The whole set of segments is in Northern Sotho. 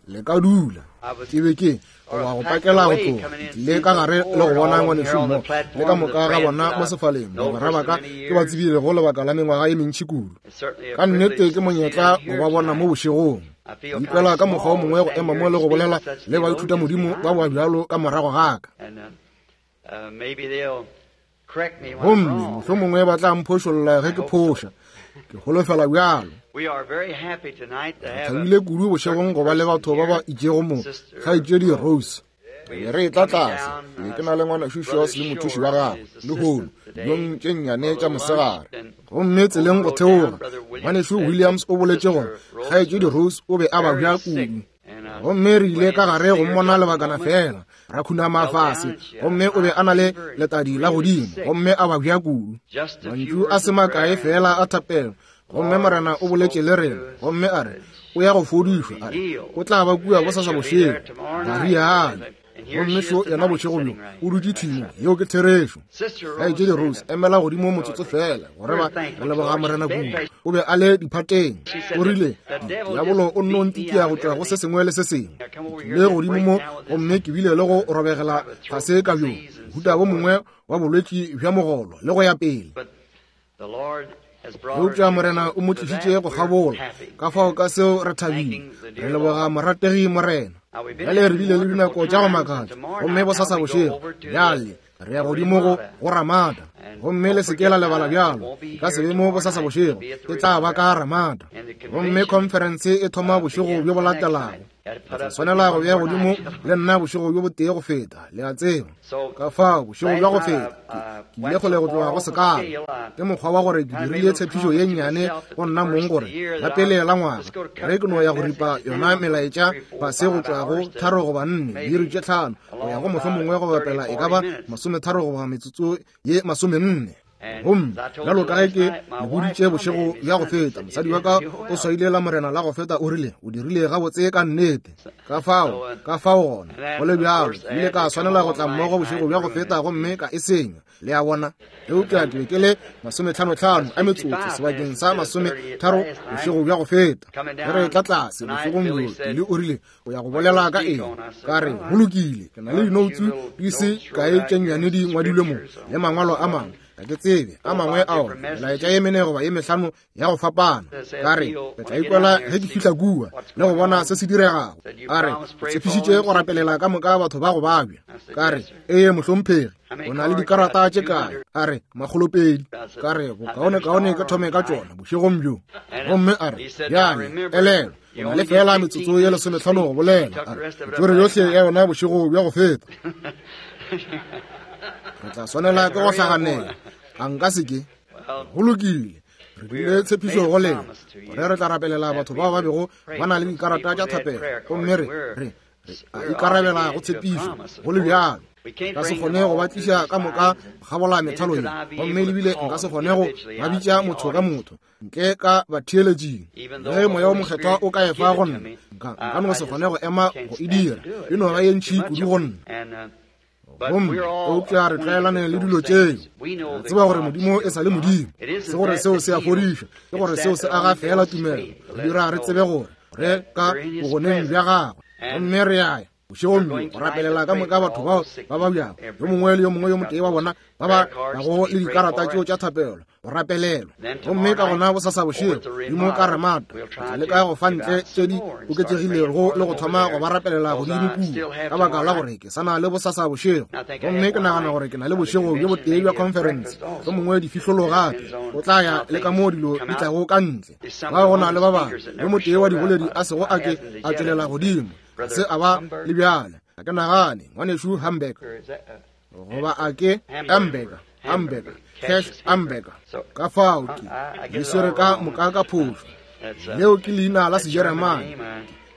Le ka dula. Ke be ke goba go pakela go tloga ke tlile ka gare le go bona ngwanešu mo le ka moka ga bona mo sefaleng bagwera ba ka ke ba tsebilego lebaka la mengwaga ye mentši kudu. Ka nnete ke monyetla go ba bona mo bošegong. Ke ikwela ka mokgwa o mongwe go ema mo le go bolela le baithutamodimo ba ba bjalo ka morago ga ka. Gomme mohlomongwe ba tla mphošolla ge ke phoša. Ke holofela bjalo. Re thabile kudu bošegong go ba le batho ba ba itšego mo, Kgaetšedi Rose. Re re etla tlase, ke ke na le ngwanešu Shores le mothuši wa gagwe, lehono, dijong tše nnyane tša mosegare. Gomme tseleng go theoga, ngwanešu Williams o boletše gore Kgaetšedi Rose o be a babja kudu. Gomme re ile ka gare go mmona lebakana feela, ra khunama fase, gomme o be a na le letadi la godimo, gomme a babja kudu. Mantšu a se makae feela a thapelo, gomme Morena o boletše le rena, gomme a re, o ya go fodišwa, a re, o tla ba kua bosasa bošego, ba rialo. Gomme šo yena bošego bjo, o dutše thwi mo. Yeo ke therešo. Kgaetšedi Rose, emela godimo motsotso feela, gore ba re leboga Morena kudu. O be a le diphateng. O rile, Diabolo o nno ntikia go tšwa go se sengwe le se sengwe. Ke tlile godimo mo, gomme ke bile le go robegela fase ka bjo, mohuta wo mongwe wa bolwetši bja mogolo, le go ya pele. Eupša Morena o mo tlišitše go kgabola, ka fao ka seo re thabile, re leboga morategi Morena. Bjale re bile le dinako tša go makatša, gomme bosasa bošego bjale re ya godimo go go Ramada, gomme le se ke la lebala bjalo, e ka se be mo bosasa bošego, e tla ba ka Ramada, gomme khonferense e thoma bošego bjo bo latelago. Ke tla swanela go bea godimo le nna bošego bjo botee go feta, le a tseba. Ka fao, bošego bja go feta, ke, ke ile kgole go tloga go sekala. Ke mokgwa wa gore ke dirile tshepišo ye nnyane go nna mong gore la pele la ngwaga, ge ke no ya go ripa yona melaetša fase go tšwa go tharo goba nne, diiri tše tlhano, go ya go mohlomongwe go bapela e ka ba masometharo goba metsotso ye masomenne. Gomme bjalo ka ge ke le boditše bošego bja go feta, mosadi wa ka o swaile la Morena la go feta, o rile, o dirile gabotse ka nnete. Ka fao, ka fao gona, go le bjalo, ke ile ka swanela go tla mmogo bošego bja go feta gomme ka e senya, le a bona. Eupša ke be ke le masometlhanotlhano a metsotso sebakeng sa masometharo bošego bja go feta. Ge re etla tlase bošegong bjo, Billy o rile, o ya go bolela ka eng? Ka re, go lokile, ke na le dinoutsu di se kae tše nnyane di ngwadilwe mo, le mangwalo a mangwe, ga ke tsebe a mangwe a ona, melaetša ye mene goba ye mehlano ya go fapana. Ka re, ke tla ikwela ge ke fihla kua le go bona se se diregago. A re, o tshepišitše go rapelela ka moka batho ba go babja. Ka re, ee, mohlomphegi, o na le dikarata tše kae? A re, makgolopedi. Ka re, bokaonekaone ke thome ka tšona bošegong bjo. Gomme a re, bjale, elelwa, o na le fela metsotso ye lesometlhano go bolela. A re, tswere yohle ya yona bošego bja go feta. Re tla swanela ke go hlaganela. A nka se ke. Go lokile. Re dirile tshepišo go lena gore re tla rapelela batho bao ba bego ba na le dikarata tša thapelo, gomme re re re a ikarabela go tshepišo go le bjalo. Nka se kgone go ba tliša ka moka gabola methalo ye, gomme lebile nka se kgone go ba bitša motho ka motho ntle ka batheeletšing. Ge Moya wo Mokgethwa o ka e fa go nna, nka nka no se kgone go ema go e dira. E no ba ye ntši kudu go nna. Gomme eupša re tlwaelane le dilo tšeo. Re tseba gore Modimo e sa le Modimo. Se gore seo se a fodiša, ke gore seo se aga feela tumelo, re dira re tsebe gore re ka bogoneng bja gagwe. Gomme re a ya bošegong bjo go rapelela ka moka batho bao ba babjago, yo mongwe le yo mongwe yo motee wa bona ba ba nago le dikarata tšeo tša thapelo go rapelelwa. Gomme ka gona bosasa bošego dimo ka Ramada, re tla leka go fa ntle tše di oketšegilego le go thoma go ba rapelela godimo kua, ka baka la gore ke sa na le bosasa bošego. Gomme ke nagana gore ke na le bošego bjo botee bja khonferense, mohlomongwe difihlolo gape, o tla ya le ka moo dilo di tlago ka ntle. Ba go na le ba bangwe, yo motee wa diboledi a sego a ke a tšwelela godimo, ga se a ba le bjale. Ga ke nagane, Ngwanešu Hamburger, goba a ke Hamburger, Hamburger, Cash Hamburger. Ka fao ke di swere ka moka ka phošo. Leo ke leina la Sejeremane.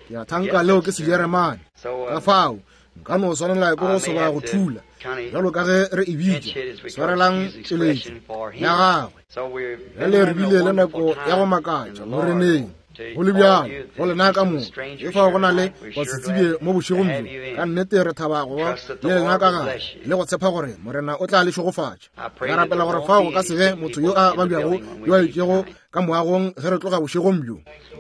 Ke a thanka leo ke Sejeremane. Ka fao nka no swanela ke go soba go thula, bjalo ka ge re e bitša, swarelang tšeletšo ya gagwe. Bjale re bile le nako ya go makatša Moreneng. Go le bjalo, go lena ka moka, efao go na le basetsebje mo bošegong bjo, ka nnete re thaba go ba le lena ka gare le go tshepa gore Morena o tla le šegofatša. Re rapela gore fao go ka se be motho yo a babjago yo a itšego ka moagong ge re tloga bošegong bjo.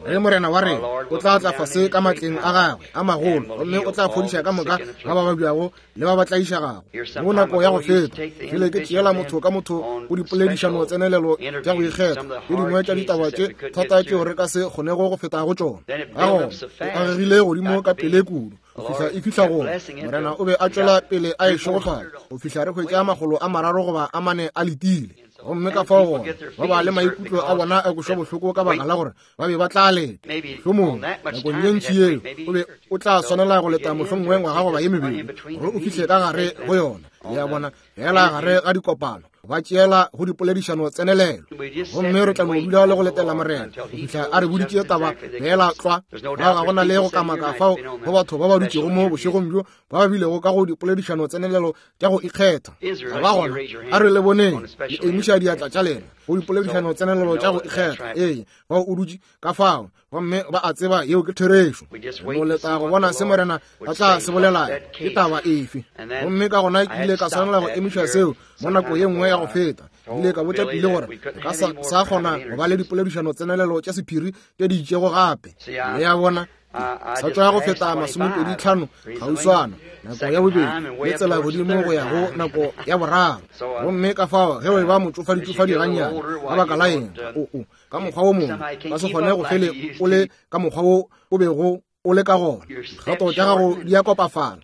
Ge Morena wa rena o tla tla fase ka matleng a gagwe a magolo, gomme o tla fodiša ka moka ba ba babjago le ba ba tlaišegago. Mo nako ya go feta, ke ke tšeela motho ka motho go dipoledišano tsenelelo tša go ikgetha, tše dingwe tša ditaba tše thata tšeo re ka se kgonego go feta go tšona. Ka gona, e agegile godimo ka pele kudu go fihla e fihla go Morena o be a tšwela pele a e šegofatša go fihla re hwetša 300 goba a 4 a letile. Gomme ka fao gona ba ba le maikutlo a bona a kwešwa bohloko ka baka la gore ba be ba tla leta. Mohlomongwe nakong ye ntši yeo o be o tla swanela go leta mohlomongwe ngwaga goba ye mebedi gore o fihle ka gare go yona. Le a bona, fela gare ga dikopano ba tšeela go dipoledišano tsenelelo, gomme re tla no dula le go letela Morena go fihla a re boditše taba fela tlwa. Ga go na le go kamaka fao go batho ba ba dutšego mo bošegong bjo ba ba bilego ka go dipoledišano tsenelelo tša go ikgetha. Ga ba gona, a re le boneng le emiša diatla tša lena go dipoledišano tsenelelo tša go ikgetha. Ee, bao o dutše ka fao, gomme ba a tseba yeo ke therešo. Go leta go bona se Morena a tla se bolelago, ke taba efe. Gomme ka gona ke ile ka swanela go emiša seo mo nako ye nngwe ya go feta. Ke ile ka botša Pile gore ka sa kgona go ba le dipoledišano tsenelelo tša sephiri tše di itšego gape. Le a bona, sa tšwa go feta 25 kgauswana nako ya bobedi le tsela godimo go ya go nako ya boraro. Gomme ka fao ge o e ba motšofaditšofadi gannyane, ka baka la eng, o ka mokgwa wo mongwe ka se kgone go fele o le ka mokgwa wo o bego o le ka gona. Dikgato tša gago di a kopafala.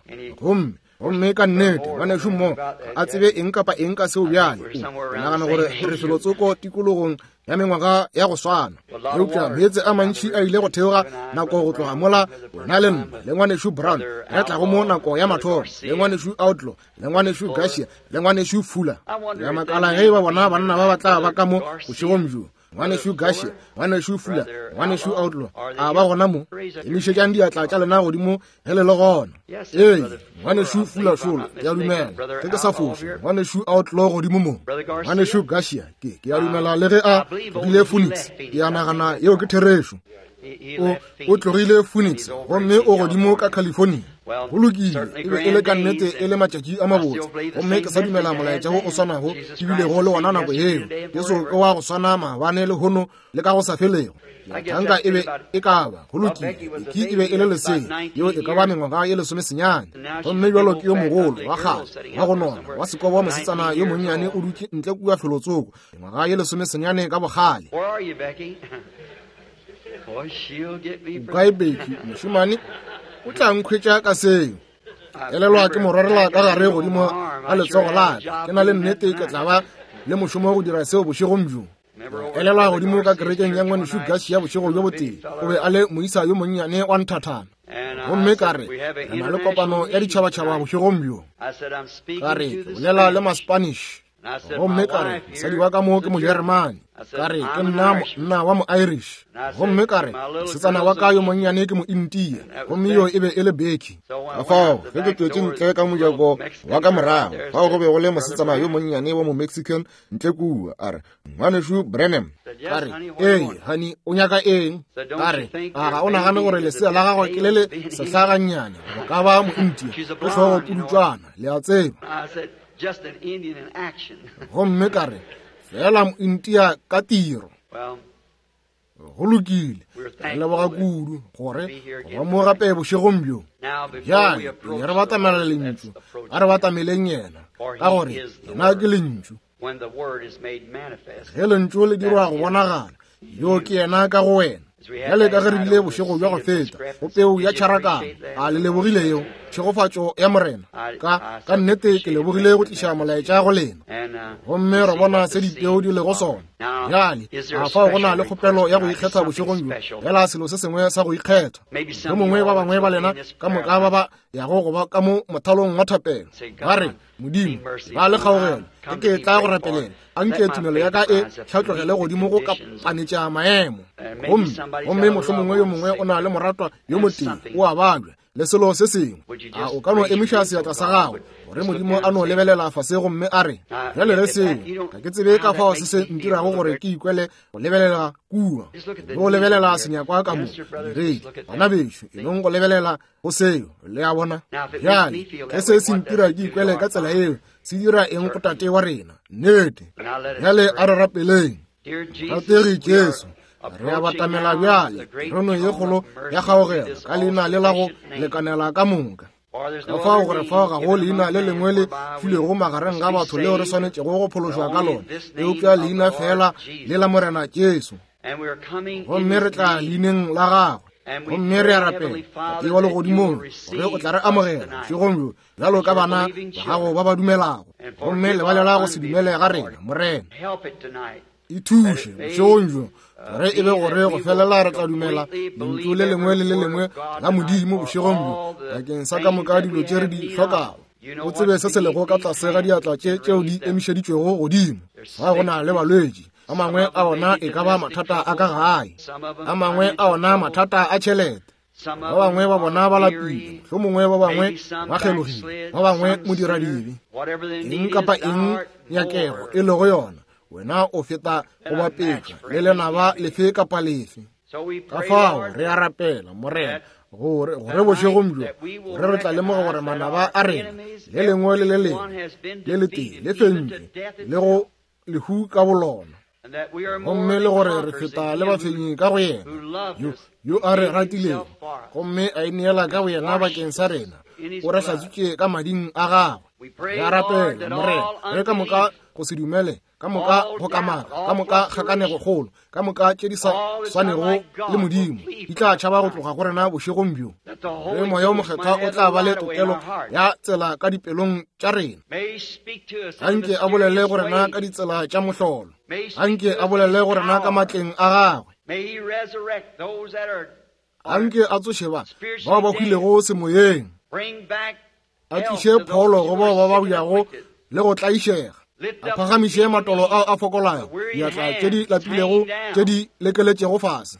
Gomme ka nnete ngwanešu mo a tsebe eng kapa eng ka seo bjale. Ke nagana gore re felotsoko tikologong ya mengwaga ya go swana, eupša meetse a mantši a ile go theoga nako go tloga mola wena le nna le ngwanešu Brown re tlago mo nako ya mathomo, le ngwanešu Outlaw, le ngwanešu Garcia, le ngwanešu Fuller. Ya makala ge ba bona banna ba ba tla ba ka mo bošegong bjo, ngwanešu Garcia, ngwanešu Fuller, ngwanešu Outlaw, a ba gona mo? Emišetšang diatla tša lena godimo ge le le gona. Ee, ngwanešu Fuller šolo, ke a dumela ge ke sa foše, ngwanešu Outlaw godimo mo, ngwanešu Garcia, ke a dumela le ge a tlogile Phoenix, ke a nagana yeo ke therešo. O tlogile Phoenix gomme o godimo ka California. Go lokile, e be e le ka nnete e le matšatši a mabotse, gomme ke sa dumela molaetša wo o swanago ke bilego le wona nako yeo. Jesu ke wa go swana maabane, lehono le ka go sa felego. Thanka e be e ka ba, go lokile, ke e be e le lesea, yeo e ka ba mengwaga ye 19, gomme bjalo ke yo mogolo wa kgale wa go nona wa sekobo wa mosetsana yo monnyane o dutše ntle kua felotsoko, mengwaga ye 19 ka bogale. O kae Becky, mošemane? O tla nkhwetša ka seo. Elelwa ke mo rwarela ka gare godimo ga letsogo la ka. Ke na le nnete ke tla ba le mošomo go dira seo bošegong bjo. Elelwa godimo ka kerekeng ya ngwanešu Garcia bošego bjo botee. O be a le moisa yo monnyane wa nthathana. Gomme ka re, re na le kopano ya ditšhabatšhaba bošegong bjo. Ka re, ke bolela le ma-Spanish. Gomme ka re, mosadi wa ka mo ke Mojeremane. Ka re, ke nna monna wa mo-Irish. Gomme ka re, mosetsana wa ka yo monnyane ke mo-India. Gomme yo e be e le Becky. Ka fao ge ke tšwetše ntle ka mojako wa ka morago, fao go be go le mosetsana yo monnyane wa mo-Mexican ntle kua, a re, Ngwanešu Branham. Ka re, ee, honey, o nyaka eng? Ka re, a ga o nagane gore lesea la gago ke le le sehlagannyane go ka ba mo-India, ke hlogo pudutšwana, le a tseba. Gomme ka re, fela mo-India ka tiro. Go lokile, re leboga kudu gore go ba mo gape bošegong bjo. Bjale pele re batamela Lentšu, a re batameleng yena, ka gore yena ke Lentšu. Ge Lentšu le dirwa go bonagala, yo ke yena ka go wena. Bjale ka ge re bile bošego bja go feta go peu ya tšharakano, a le lebogile yeo tšhegofatšo ya Morena? Ka nnete ke lebogile go tliša molaetša go lena, gomme re bona se dipeu di lego sona. Bjale a fao go na le kgopelo ya go ikgetha bošegong bjo, fela selo se sengwe sa go ikgetha. Yo mongwe ba bangwe ba lena ka moka ba ba yago go ba ka mo mothalong wa thapelo, ba re, Modimo, ba le kgaogelo, ge ke tla go rapelela, a nke tumelo ya ka e hlatlogele godimo go kapanetša maemo. Gomme mohlomongwe yo mongwe o na le moratwa yo motee o a babja le selo se sengwe. A o ka no emiša seatla sa gago gore Modimo a no lebelela fase gomme a re, bjale ge seo, ga ke tsebe ka fao se se ntirago gore ke ikwele go lebelela kua, le go lebelela senyakwa ka mo diredi, bana bešo, e nong go lebelela go seo, le a bona. Bjale ge se se ntira ke ikwele ka tsela eo, se dira eng go Tate wa rena? Nnete. Bjale a re rapeleng. Rategi Jesu, re a batamela bjale teronong ye kgolo ya kgaogelo ka leina le la go lekanela ka moka. Ka fao gore fao ga go leina le lengwe le filwego magareng ga batho leo re swanetšego go phološwa ka lona, eupša leina feela le la Morena Jesu. Gomme re tla leineng la gagwe. Gomme re a rapela, Tate wa legodimong, gore o tla re amogela bošegong bjo bjalo ka bana ba gago ba ba dumelago. Gomme lebalela go se dumele ga rena, Morena. E thuše bošegong bjo gore e be gore go felela re tla dumela lentšu le lengwe le le lengwe la Modimo bošegong bjo bakeng sa ka moka dilo tše re di hlokago. O tsebe se se lego ka tlase ga diatla tše tšeo di emišeditšwego godimo. Ga go na le balwetši, a mangwe a ona e ka ba mathata a ka gae, a mangwe a ona mathata a tšhelete, ba bangwe ba bona ba lapile, mohlomongwe ba bangwe ba kgelogile, ba bangwe modiradibe. Eng kapa eng nyakego e lego yona, wena o feta go bapetšwa le lenaba lefe kapa lefe. Ka fao re a rapela, Morena, gore gore bošegong bjo gore re tla lemoga gore manaba a rena le lengwe le le lengwe le letee le fentšwe le go lehu ka bolona, gomme le gore re feta le bafenyi ka go yena yo yo a re ratilego gomme a ineela ka go yena bakeng sa rena, o re hlatswitše ka mading a gagwe. Re a rapela, Morena, re ka moka go se dumele, ka moka go kamaka, ka moka kgakanego kgolo, ka moka tše di sa swanego le Modimo di tla tšhaba go tloga go rena bošegong bjo. Ge Moya o Mokgethwa o tla ba le tokelo ya tsela ka dipelong tša rena, anke a bolele go rena ka ditsela tša mohlolo, anke a bolele go rena ka matleng a gagwe, anke a tsoše ba bao ba hwilego semoyeng, a tliše pholo go bao ba babjago le go tlaišega, a phagamiše matolo ao a fokolago, diatla tše di lapilego tše di lekeletšego fase,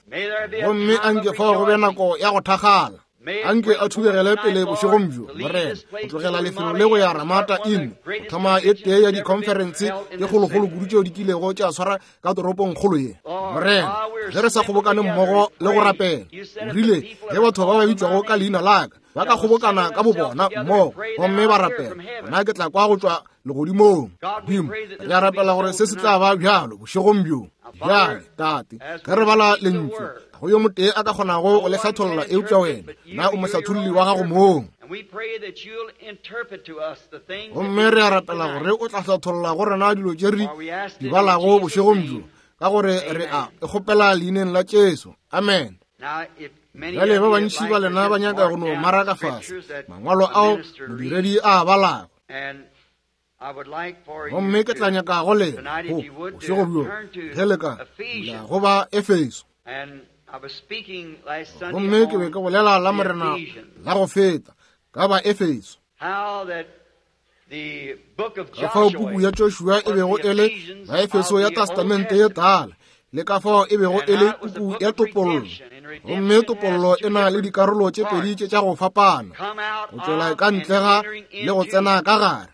gomme anke fao go be nako ya go thakgala. Anke a thubegele pele bošegong bjo, Morena, go tlogela lefelo le go ya Ramata Inn, go thoma e tee ya dikhonferense tše kgolokgolo kudu tšeo di kilego tša swara ka toropong kgolo ye. Morena, ge re sa kgobokane mmogo le go rapela, o rile, ge batho ba ba bitšwago ka leina la ka ba ka kgobokana ka bobona mmogo gomme ba rapela, gona ke tla kwa go tšwa legodimong. Modimo, re a rapela gore se se tla ba bjalo bošegong bjo. Bjale, Tate, ge re bala lentšu, ga go yo motee a ka kgonago go le hlatholla eupša wena. Na o mohlatholli wa gago mong. Gomme re a rapela gore o tla hlatholla go rena dilo tše re di balago bošegong bjo, ka gore re a e kgopela leineng la Jesu. Amen. Bjale ba bantši ba lena ba nyaka go no maraka fase mangwalo ao modiredi a a balago. Gomme ke tla nyaka go lena go bošego bjo ge le ka la go ba Efeso. Gomme ke be ke bolela la Morena la go feta ka ba Efeso, ka fao puku ya Joshua e bego e le Baefeso ya Testamente ye Tala, le ka fao e bego e le puku ya topollo. Gomme topollo e na le dikarolo tše pedi tše tša go fapana, go tšwela ka ntle ga le go tsena ka gare.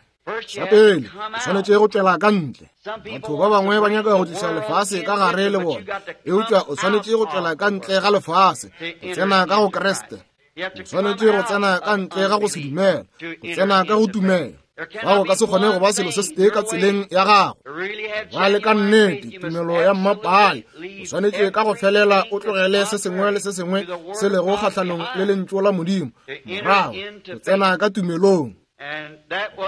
Sa pele, o swanetše go tšwela ka ntle. Batho ba bangwe ba nyaka go tliša lefase ka gare le bona, eupša o swanetše go tšwela ka ntle ga lefase, go tsena ka go Kriste. O swanetše go tsena ka ntle ga go se dumela, go tsena ka go tumelo. Ga go ka se kgone go ba selo se setee ka tseleng ya gago. Ba le ka nnete tumelo ya mmapaale, o swanetše ka go felela o tlogele se sengwe le se sengwe se lego kgahlanong le lentšu la Modimo, morago go tsena ka tumelong.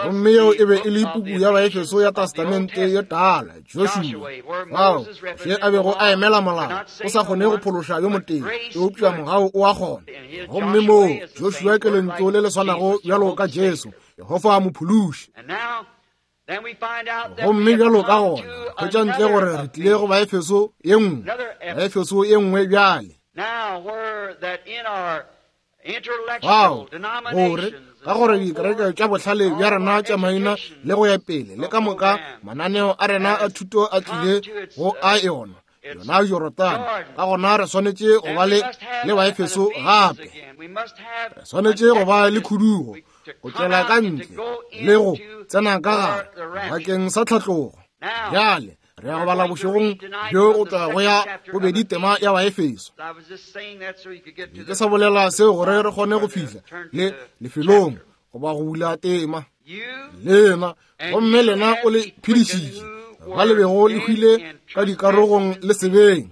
Gomme yeo e be e le puku ya Baefeso ya Testamente ye Tala, Joshua, fao Moshe a bego a emela molao, o sa kgone go phološa yo motee, eupša mogau o a kgona. Gomme moo Joshua ke lentšu le le swanago bjalo ka Jesu, Jehofa mophološi. Gomme bjalo ka gona hwetša ntle gore re tlile go Baefeso ye nngwe, Baefeso ye nngwe bjale. Fao, gore ka gore dikereke tša bohlale bja rena tša maina le go ya pele le ka moka mananeo a rena a thuto a tlile go a yona yona Jorodane, ka gona re swanetše go ba le le Baefeso gape. Re swanetše go ba le khudugo, go tšwela ka ntle le go tsena ka gare bakeng sa tlhatlogo. Bjale re ya go bala bošegong bjo go tla go ya bobedi tema ya Baefeso. Ke sa bolela seo gore re kgone go fihla le lefelong goba go bula tema. Lena, gomme lena o le phedišitše. Ba le bego le hwile ka dikarogong le sebeng.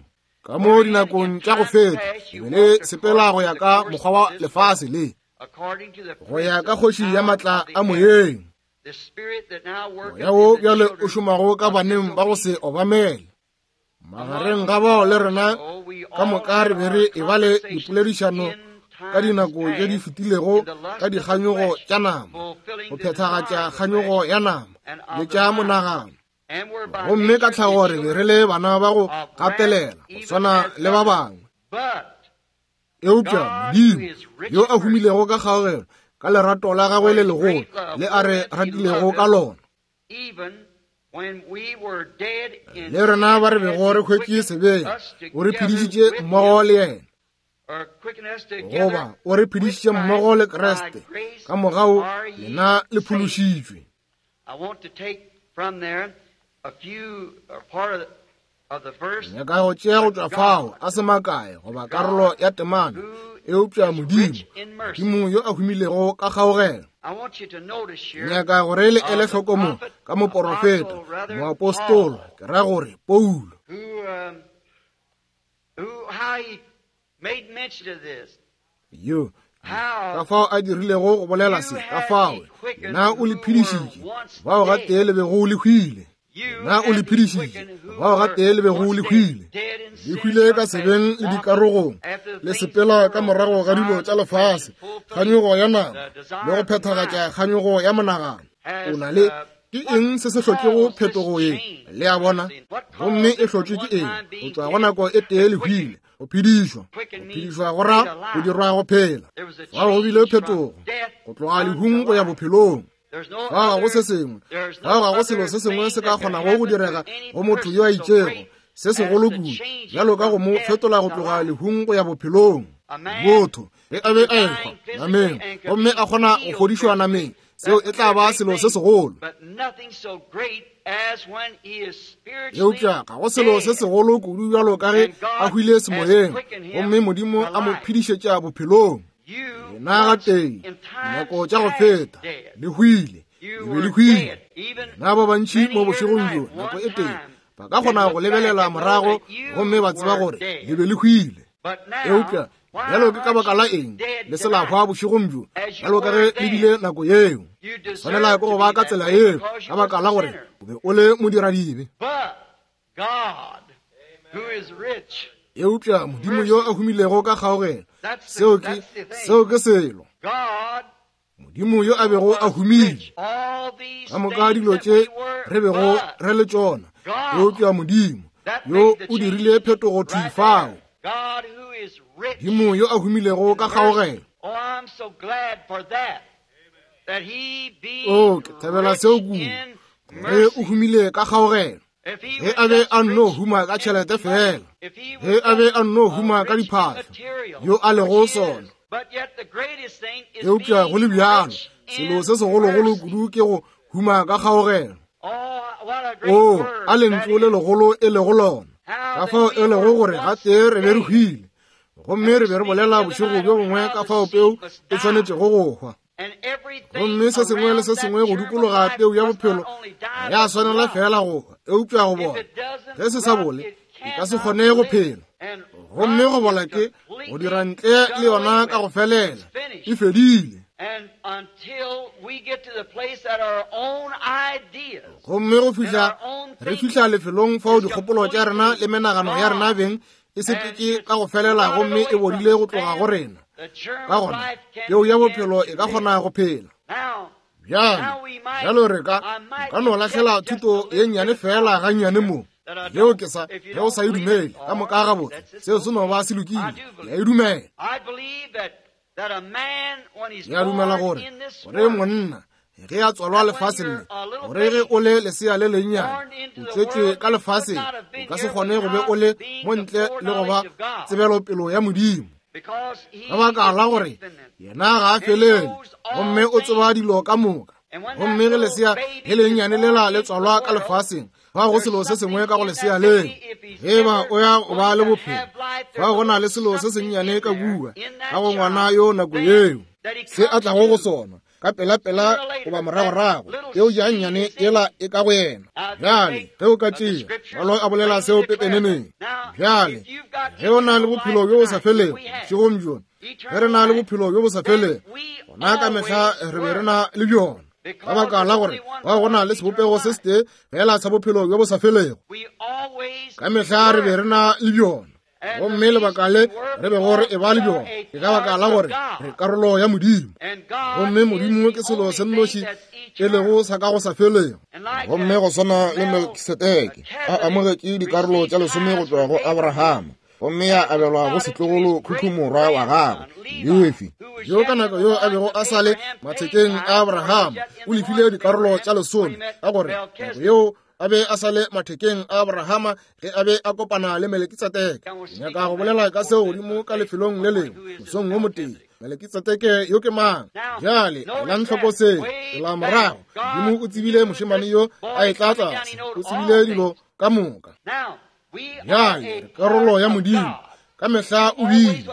Ka mo dinakong tša go feta, le be le sepela go ya ka mokgwa wa lefase le, go ya ka kgoši ya matla a moyeng, moya wo bjale o šomago ka baneng ba go se obamele. Magareng ga bao le rena ka moka re be re e ba le dipoledišano ka dinako tše di fetilego ka dikganyogo tša nama, go phethagatša kganyogo ya nama le tša monagano. Gomme ka tlhago re be re le bana ba go gatelela go swana le ba bangwe. Eupša Modimo, yo a humilego ka kgaogelo, ka lerato la gagwe le legolo le a re ratilego ka lona, le rena ba re bego re hwetše sebeng, o re phedišitše mmogo le yena, goba o re phedišitše mmogo le Kriste, ka mogau lena le phološitšwe. Nyaka go tšea go tšwa fao a se makae goba karolo ya temana, eupša Modimo, Modimo yo a humilego ka kgaogelo. Nyaka gore le ele hloko mo ka moporofeta, moapostolo, ke ra gore Paulo, yo ka fao a dirilego go bolela se, ka fao na o le phedišitše bao gatee le bego le hwile, na o le phedišitše bao gatee le bego le hwile, le hwile ka sebeng le dikarogong, le sepela ka morago ga dilo tša lefase, kganyogo ya nama le go phethagatša kganyogo ya monagano. O na le ke eng se se hlotšego phetogo ye? Le a bona? Gomme e hlotšwe ke eng? Go tšwa go nako e tee le hwile, go phedišwa. Go phedišwa go ra go dirwa go phela. Fao go bile phetogo go tloga lehung go ya bophelong. Fao ga go se sengwe, fao ga go selo se sengwe se ka kgonago go direga go motho yo a itšego se segolo kudu bjalo ka go mo fetola go tloga lehung go ya bophelong. Motho ge a be a ehwa nameng gomme a kgona go fodišwa nameng, seo e tla ba selo se segolo. Eupša ga go selo se segolo kudu bjalo ka ge a hwile semoyeng gomme Modimo a mo phedišetša bophelong. Lena gatee dinako tša go feta le hwile, le be le hwile. Lena ba bantši mo bošegong bjo nako e tee ba ka kgona go lebelela morago gomme ba tseba gore le be le hwile. Eupša bjalo ke ka baka la eng le se la hwa bošegong bjo bjalo ka ge le bile nako yeo? Tshwanela ke go ba ka tsela yeo ka baka la gore o be o le modiradibe. Eupša Modimo yo a humilego ka kgaogelo, seo ke, seo ke selo. Modimo yo a bego a humile ka moka dilo tše re bego re le tšona, eupša Modimo yo o dirile phetogo thwi fao. Modimo yo a humilego ka kgaogelo. O, ke thabela seo kudu, gore o humile ka kgaogelo. Ge a be a nno huma ka tšhelete fela, ge a be a nno huma ka diphahlo, yo a lego sona. Eupša go le bjalo, selo se segologolo kudu ke go huma ka kgaogelo. O, a lentšu le legolo e lego lona, ka fao e lego gore gatee re be re hwile, gomme re be re bolela bošego bjo bongwe ka fao peu e swanetšego go hwa. Gomme se sengwe le se sengwe go dikologa peu ya bophelo ga ya swanela fela go hwa, eupša go bola. Ge se sa bole, e ka se kgone go phela. Gomme go bola ke go dira ntle le yona ka go felela, e fedile. Gomme go fihla re fihla lefelong fao dikgopolo tša rena le menagano ya rena beng e sepetše ka go felela gomme e bodile go tloga go rena, ka gona peu ya bophelo e ka kgona go phela. Bjale, bjalo re ka, ka no lahlela thuto ye nnyane fela gannyane mo, yeo ke sa, ge o sa e dumele ka moka gabotse, seo se no ba se lokile, ke a e dumela. Ke a dumela gore, gore monna ge a tswalwa lefaseng le, gore ge o le lesea le lennyane o tswetšwe ka lefaseng, o ka se kgone go be o le mo ntle le go ba tsebelopelo ya Modimo, ka baka la gore yena ga a felele gomme o tseba dilo ka moka. Gomme ge lesea le lennyane lela le tswalwa ka lefaseng, fa go selo se sengwe ka go lesea leo, ge ba o ya go ba le bophelo, fa go na le selo se sennyane ka bua ka go ngwana yo nako yeo, se a tlago go sona. ka pelapela goba moragorago, peo ya nnyane yela e ka go yena. Bjale, ge o ka tšea, Mangwalo a bolela seo pepeneneng. Bjale, ge o na le bophelo bjo bo sa felego, bošegong bjo, ge re na le bophelo bjo bo sa felego, gona ka mehla re be re na le bjona. Ka baka la gore ba go na le sebopego se setee fela sa bophelo bjo bo sa felego, ka mehla re be re na le bjona. Gomme lebaka le re bego re eba le bjona ke ka baka la gore re karolo ya Modimo, gomme Modimo ke selo se nnoši e lego sa ka go sa felego. Gomme go swana le Melkisedeke a amogetše dikarolo tša lesome go tšwa go Abrahama, gomme ya abelwa go setlogolo khukhu morwa wa gagwe Lefi, yo ka nako yo a bego a sa le mathekeng a Abrahama, o lefile dikarolo tša lesome, ka gore nako yeo a be a sa le mathekeng a Abrahama ge a be a kopana le Melekitseteke. Nyaka go bolela ka seo godimo ka lefelong le lengwe mosong wo motee. Melekitseteke yo ke mang? Bjale elang hloko se la morago. Modimo o tsebile mošemane yo a etla tlase, o tsebile dilo ka moka. Bjale re karolo ya Modimo, ka mehla o bile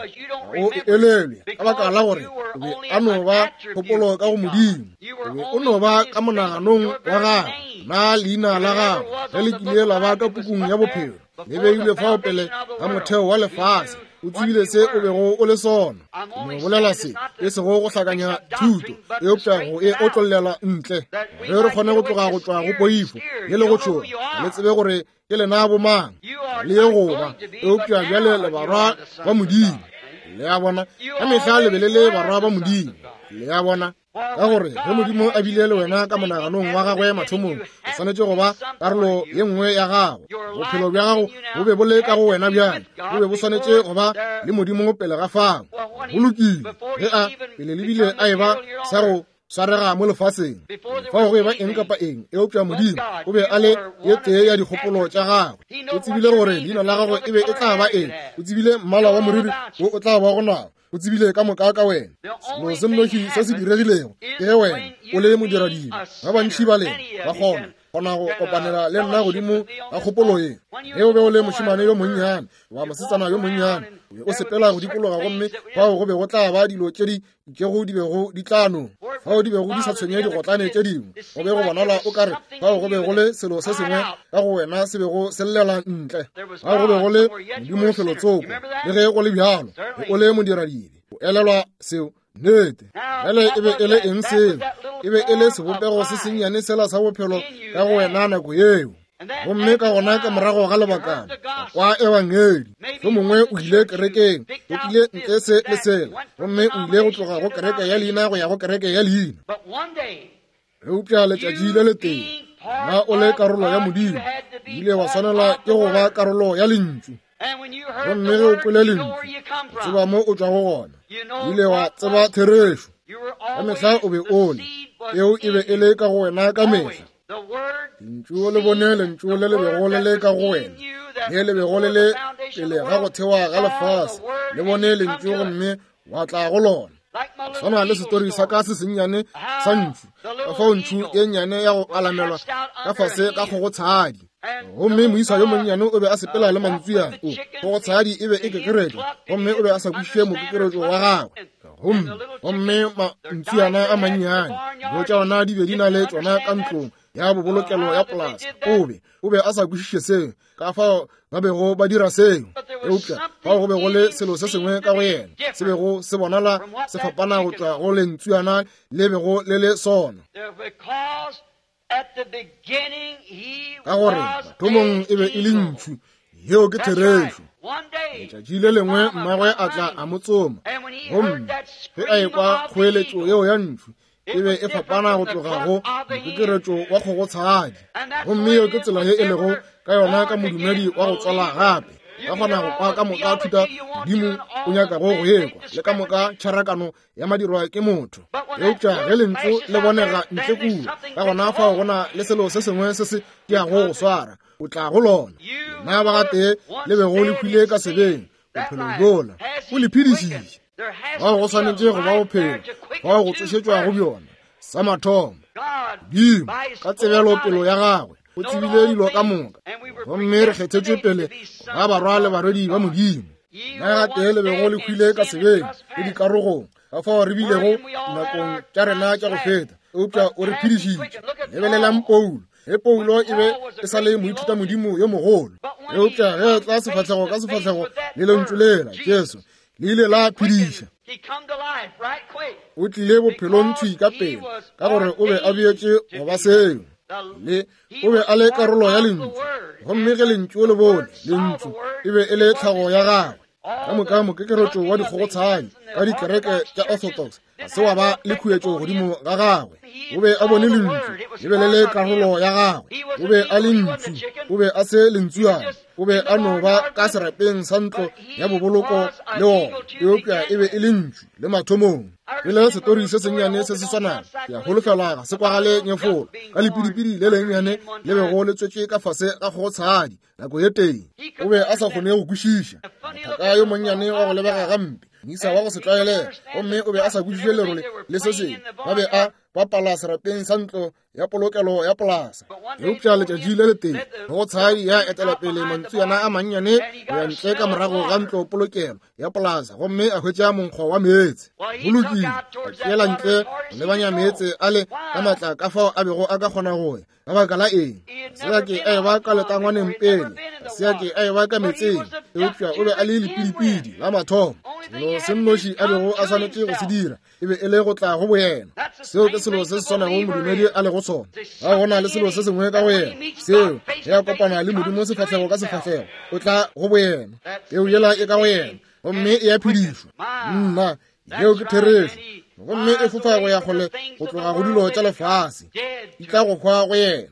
o elelwe, ka baka la gore o be a no ba kgopolo ka go Modimo, o be o no ba ka monaganong wa gagwe. Na leina la gago ge le kile la ba ka pukung ya bophelo, le beilwe fao pele ga motheo wa lefase, o tsebile se o bego o le sona. Ke no bolela se, e sego go hlakanya thuto, eupša go e otlollela ntle, ge re kgone go tloga go tšwa go poifo ye le go tšhoga, le tsebe gore ke lena bomang le ye go ba, eupša bjale le barwa ba Modimo. Le a bona, ka mehla le be le le barwa ba Modimo. Le a bona, ka gore ge Modimo a bile le wena ka monaganong wa gagwe mathomong, o swanetše go ba karolo ye nngwe ya gago. Bophelo bja gago bo be bo le ka go wena bjale, bo be bo swanetše go ba le Modimo pele ga fao. Go lokile, ge a pele le bile a eba sa go swarega mo lefaseng, fao go eba eng kapa eng, eupša Modimo o be a le ye tee ya dikgopolo tša gagwe. O tsebile gore leina la gagwe e be e tla ba eng, o tsebile mmala wa moriri wo o tla ba go nao, o tsebile ka moka ka wena. Selo se nnoši se se diregilego ke ge wena o le modiradibe. Ba bantši ba lena ba kgona kgona go kopanela le nna godimo ga kgopolo ye. Ge o be o le mošemane yo monnyane wa mosetsana yo monnyane, o be o sepela go dikologa, gomme fao go be go tla ba dilo tše di itšego di bego di tla no fao di bego di sa tshwenye digotlane tše dingwe. Go be go bonala o ka re fao go be go le selo se sengwe ka go wena se bego se llela ntle. Fao go be go le Modimo felotsoko, le ge go le bjalo o le modiradibe. O elelwa seo? Nnete. Bjale e be e le eng seo? E be e le sebopego se sennyane sela sa bophelo ka go wena nako yeo. Gomme ka gona ka morago ga lebakana kwa ebangedi, yo mongwe o ile kerekeng, o tlile ntle se le sela, gomme o ile go tloga go kereke ya leina go ya go kereke ya leina. Eupša letšatši le letee, na o le karolo ya Modimo, o ile wa swanela ke go ba karolo ya Lentšu. Gomme ge o kwele Lentšu, o tseba mo o tšwago gona, o ile wa tseba therešo. Ka mehla o be o le, peo e be e le ka go wena ka mehla. Lentšu le bone lentšu le le bego le le ka go wena, le le bego le le pele ga go thewa ga lefase, le bone lentšu gomme wa tla go lona. Swana le setori sa ka se sennyane sa ntšhu, ka fao ntšhu ye nnyane ya go alamelwa ka fase ka kgogotshadi. Gomme moisa yo monnyane o be a sepela le mantsuana o kgogotshadi e be e kekeretšwa, gomme o be a sa kwešiše mokekeretšo wa gagwe. Gomme gomme mantsuana a mannyane, dijo tša ona di be di na le tšona ka ntlong ya bobolokelo ya polasa. O be a sa kwešiše seo, ka fao ba bego ba dira seo. Eupša fao go be go le selo se sengwe ka go yena se bego se bonala se fapana go tšwa go lentsuana le bego le le sona, ka gore mathomong e be e le ntšhu. Yeo ke therešo. Letšatši le lengwe mmagwe a tla a mo tsoma, gomme ge a ekwa kgoeletšo yeo ya ntšhu, e be e fapana go tloga go mokekeretšo wa kgogotshadi. Gomme yeo ke tsela ye e lego ka yona ka modumedi wa go tswala gape. Ka kgona go kwa ka moka thuta Modimo o nyakago go ekwa, le ka moka tšharakano ya madirwa ke motho. Eupša ge lentšu le bonega ntle kua, ka gona fao go na le selo se sengwe se se tiago go swara, o tla go lona. Lena ba gatee le bego le hwile ka sebeng, bophelo bjola o le phedišitše. Fao go swanetše go ba bophelo, fao go tsošetšwa go bjona. Sa mathomo, Modimo ka tsebelopelo ya gagwe o tsebile dilo ka moka, gomme re kgethetšwe pele ba barwa le barwedi ba Modimo. Na gatee le bego le hwile ka sebeng le dikarogong, Ka fao re bilego dinakong tša rena tša go feta, eupša o re phedišitše. Lebelelang Paulo. Ge Paulo e be e sa le moithutamodimo yo mogolo, eupša ge a tla sefahlego ka sefahlego le lentšu lela, Jesu, le ile la phediša. O tlile bophelong thwi ka pele, ka gore o be a beetše go ba seo. Le o be a le karolo ya lentšu, gomme ge lentšu le bone lentšu, e be e le tlhago ya gagwe. Ka moka mokekeretšo wa dikgogotshadi ka dikereke tša Orthodox ga se wa ba le khuetšo godimo ga gagwe. O be a bone lentšu, le be le le karolo ya gagwe. O be a le ntšu, o be a se lentsuana. O be a no ba ka serapeng sa ntlo ya boboloko le ona, eupša e be e le ntšu le mathomong. Pele setori se sennyane se se swanago, ke a holofela ga se kwagale nyefolo, ka lepidipidi le lennyane le bego le tswetše ka fase ga kgogotshadi nako ye tee. O be a sa kgone go kwešiša. Mothaka yo monnyane wa go lebega gampe, moisa wa go se tlwaelege, gomme o be a sa kwešiše lerole le se sengwe. Ba be a bapala serapeng sa ntlo ya polokelo ya polasa. Eupša letšatši le letee go tshadi ya etela pele mantsuyana a mannyane go ya ntle ka morago ga ntlo polokelo ya polasa, gomme a hwetša monkgo wa meetse. Go lokile, a tšeela ntle go lebanya meetse a le ka matla ka fao a bego a ka kgona go ya. Ka baka la eng? Ga se a ke a eba ka letangwaneng pele, ga se a ke a eba ka meetseng, eupša o be a le lepidipidi la mathomo. Selo se nnoši a bego a swanetše go se dira e be e le go tla go boyena. Seo ke selo se se swanago modumedi a lego sona. Ga go na le selo se sengwe ka go yena seo ge a kopana le Modimo sefahlego ka sefahlego, o tla go boyena. Peu yela e ka go yena gomme e a phedišwa. Nna, yeo ke therešo. Gomme e fofa go ya kgole go tloga go dilo tša lefase, di tla go hwa go yena.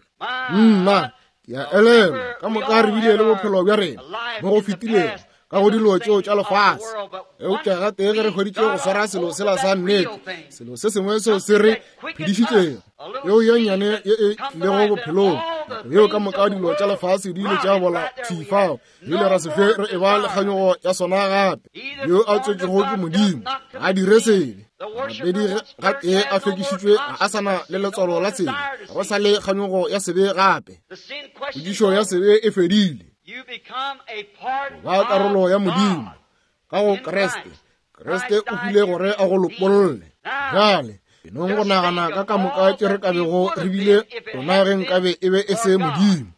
Nna, ke a elelwa ka moka re bile le bophelo bja rena mo go fetilego ka go dilo tšeo tša lefase, eupša gatee ge re hweditše go swara selo sela sa nnete, selo se sengwe seo se re phedišitšego, yeo ye nnyane ye e tlilego bophelong, nako yeo ka moka dilo tša lefase di ile tša bola thwi fao, di ile ra se fe re eba le kganyogo ya sona gape. Yo a tswetšego ke Modimo ga a dire sebe. Morapedi gatee a hlwekišitšwe ga a sa na le letswalo la sebe, ga go sa le kganyogo ya sebe gape. Potšišo ya sebe e fedile. Ba karolo ya Modimo ka go Kriste. Kriste o hwile gore a go lopolle. Bjale enong go nagana ka ka moka tše re ka bego re bile rona ge nkabe e be e se Modimo.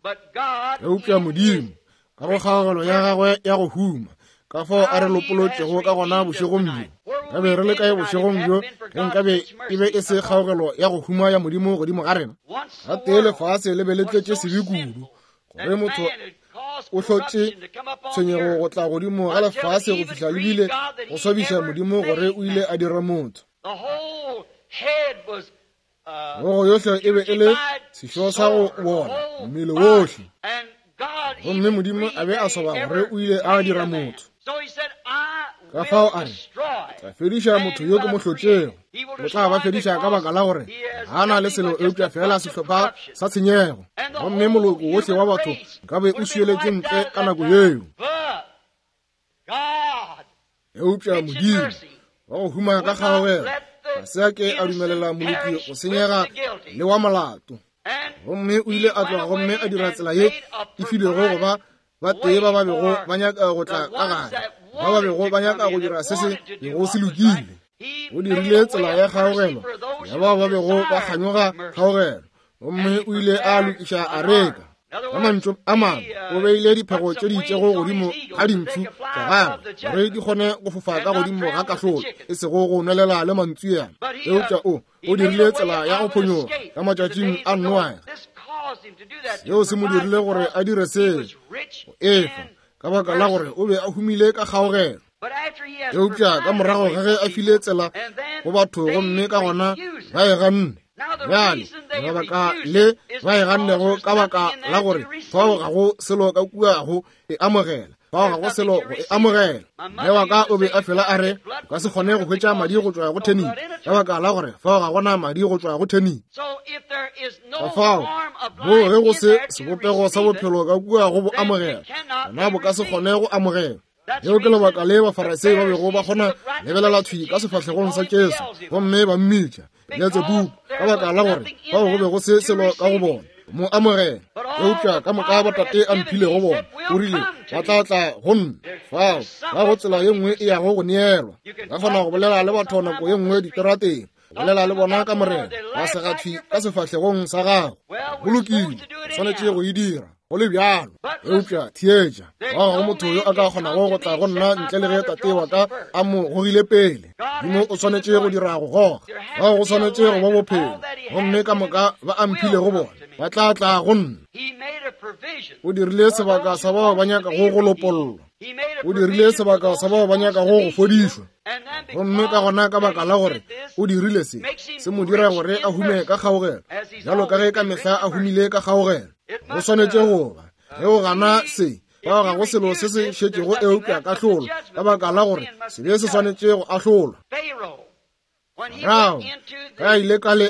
Eupša Modimo ka go kgaogelo ya gagwe ya go huma, ka fao a re lopolotšego ka gona bošegong bjo. Ka be re le kae bošegong bjo ge nkabe e be e se kgaogelo ya go huma ya Modimo godimo ga rena? Gatee lefase le be le tletše sebe kudu gore motho o hlotše tshwenyego go tla godimo ga lefase go fihla lebile go swabiša Modimo gore o ile a dira motho. Hlogo yohle e be e le sešo sa go bola, mmele wohle. Gomme Modimo a be a soba gore o ile a dira motho. Ka fao a re, tla fediša motho yo ke mo hlotšego. O tla ba fediša ka baka la gore ga na le selo eupša fela sehlopha sa tshenyego. Gomme moloko wohle wa batho nkabe o swieletse ntle ka nako yeo. Eupša Modimo wa go huma ka kgaogelo ga se a ke a dumelela moloki go senyega le wa molato. Gomme o ile a tloga gomme a dira tsela ye e filwego go ba ba tee ba ba bego ba nyaka go tla ka gare, ba ba bego ba nyaka go dira se se bego se lokile. O dirile tsela ya kgaogelo ya bao ba bego ba kganyoga kgaogelo, gomme o ile a lokiša areka. Ka mantšu a mangwe, o beile diphego tše di itšego godimo ga dintšhu tša gagwe gore di kgone go fofa ka godimo ga kahlolo, e sego go nwelela le mantsuana. Eupša o o dirile tsela ya go phonyoga ka matšatšing a Noage. Seo se mo dirile gore a dire seo go efa, ka baka la gore o be a humile ka kgaogelo. Eupša ka morago ga ge a file tsela go batho gomme ka gona ba e ganne, bjale lebaka le ba e gannego ka baka la gore fao ga go selo ka kua go e amogela, fao ga go selo go e amogela. Mme wa ka o be a fela a re, o ka se kgone go hwetša madi go tšwa go theni, ka baka la gore fao ga gona madi go tšwa go theni. Ka fao moo ge go se sebopego sa bophelo ka kua go bo amogela, gona bo ka se kgone go amogela. Leo ke lebaka le Bafarisei ba bego ba kgona lebelela thwi ka sefahlegong sa Jesu gomme ba mmitša Beletsebubu, ka baka la gore fao go be go se selo ka go bona. Mo amogela. Eupša ka moka botate a mphilego bona, o rile, ba tla tla go nna. Fao ga go tsela ye nngwe e yago go neelwa. Ka kgona go bolela le batho nako ye nngwe diterateng, bolela le bona ka Morena, ba segathwi ka sefahlegong sa gago. Go lokile, o swanetše go e dira go le bjalo. Eupša theetša, ga go motho yo a ka kgonago go tla go nna ntle le ge tate wa ka a mo gogile pele. Modimo o swanetše go dira go goga, ga go swanetše go ba bophelo, gomme ka moka ba a mphilego bona ba tla tla go nna. O dirile sebaka sa bao ba nyakago go lopollwa, o dirile sebaka sa bao ba nyakago go fodišwa, gomme ka gona ka baka la gore o dirile se, se mo dira gore a hume ka kgaogelo, bjalo ka ge ka mehla a humile ka kgaogelo. Go swanetše go ba ge o gana se, fao ga go selo se se šetšego eupša kahlolo, ka baka la gore sebe se swanetše go ahlolwa. Farao ge a ile ka le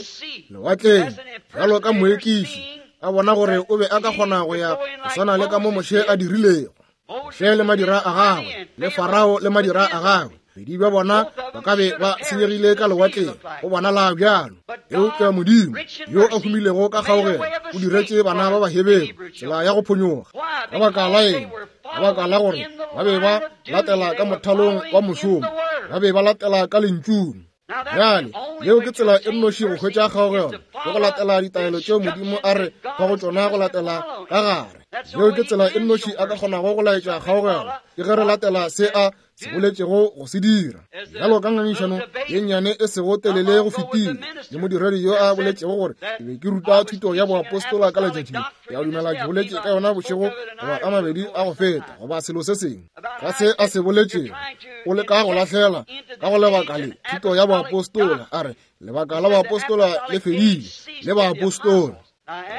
lewatleng bjalo ka moekiši, a bona gore o be a ka kgona go ya go swana le ka mo Moshe a dirilego. Moshe le madira a gagwe, le Farao le madira a gagwe, bedi bja bona ba ka be ba senyegile ka lewatleng, go bonala bjalo. Eupša Modimo yo a humilego ka kgaogelo o diretše bana ba Baheberu tsela ya go phonyoga. Ka baka la eng? Ka baka la gore ba be ba latela ka mothalong wa mošomo, ba be ba latela ka lentšung. Bjale, yeo ke tsela e nnoši go hwetša kgaogelo, ke go latela ditaelo tšeo Modimo a re fago tšona go latela ka gare. Yeo ke tsela e nnoši a ka kgonago go laetša kgaogelo, ke ge re latela se a se boletšego go se dira. Bjalo ka ngangišano ye nnyane e sego telele go fetile le modiredi yo a boletšego gore ke be ke ruta thuto ya boapostola ka letšatši le, ke a dumela ke boletše ka yona bošego goba a mabedi a go feta, goba selo se sengwe ka se a se boletšego. O leka go lahlela ka go lebaka le thuto ya boapostola, a re lebaka la boapostola le fedile le baapostola.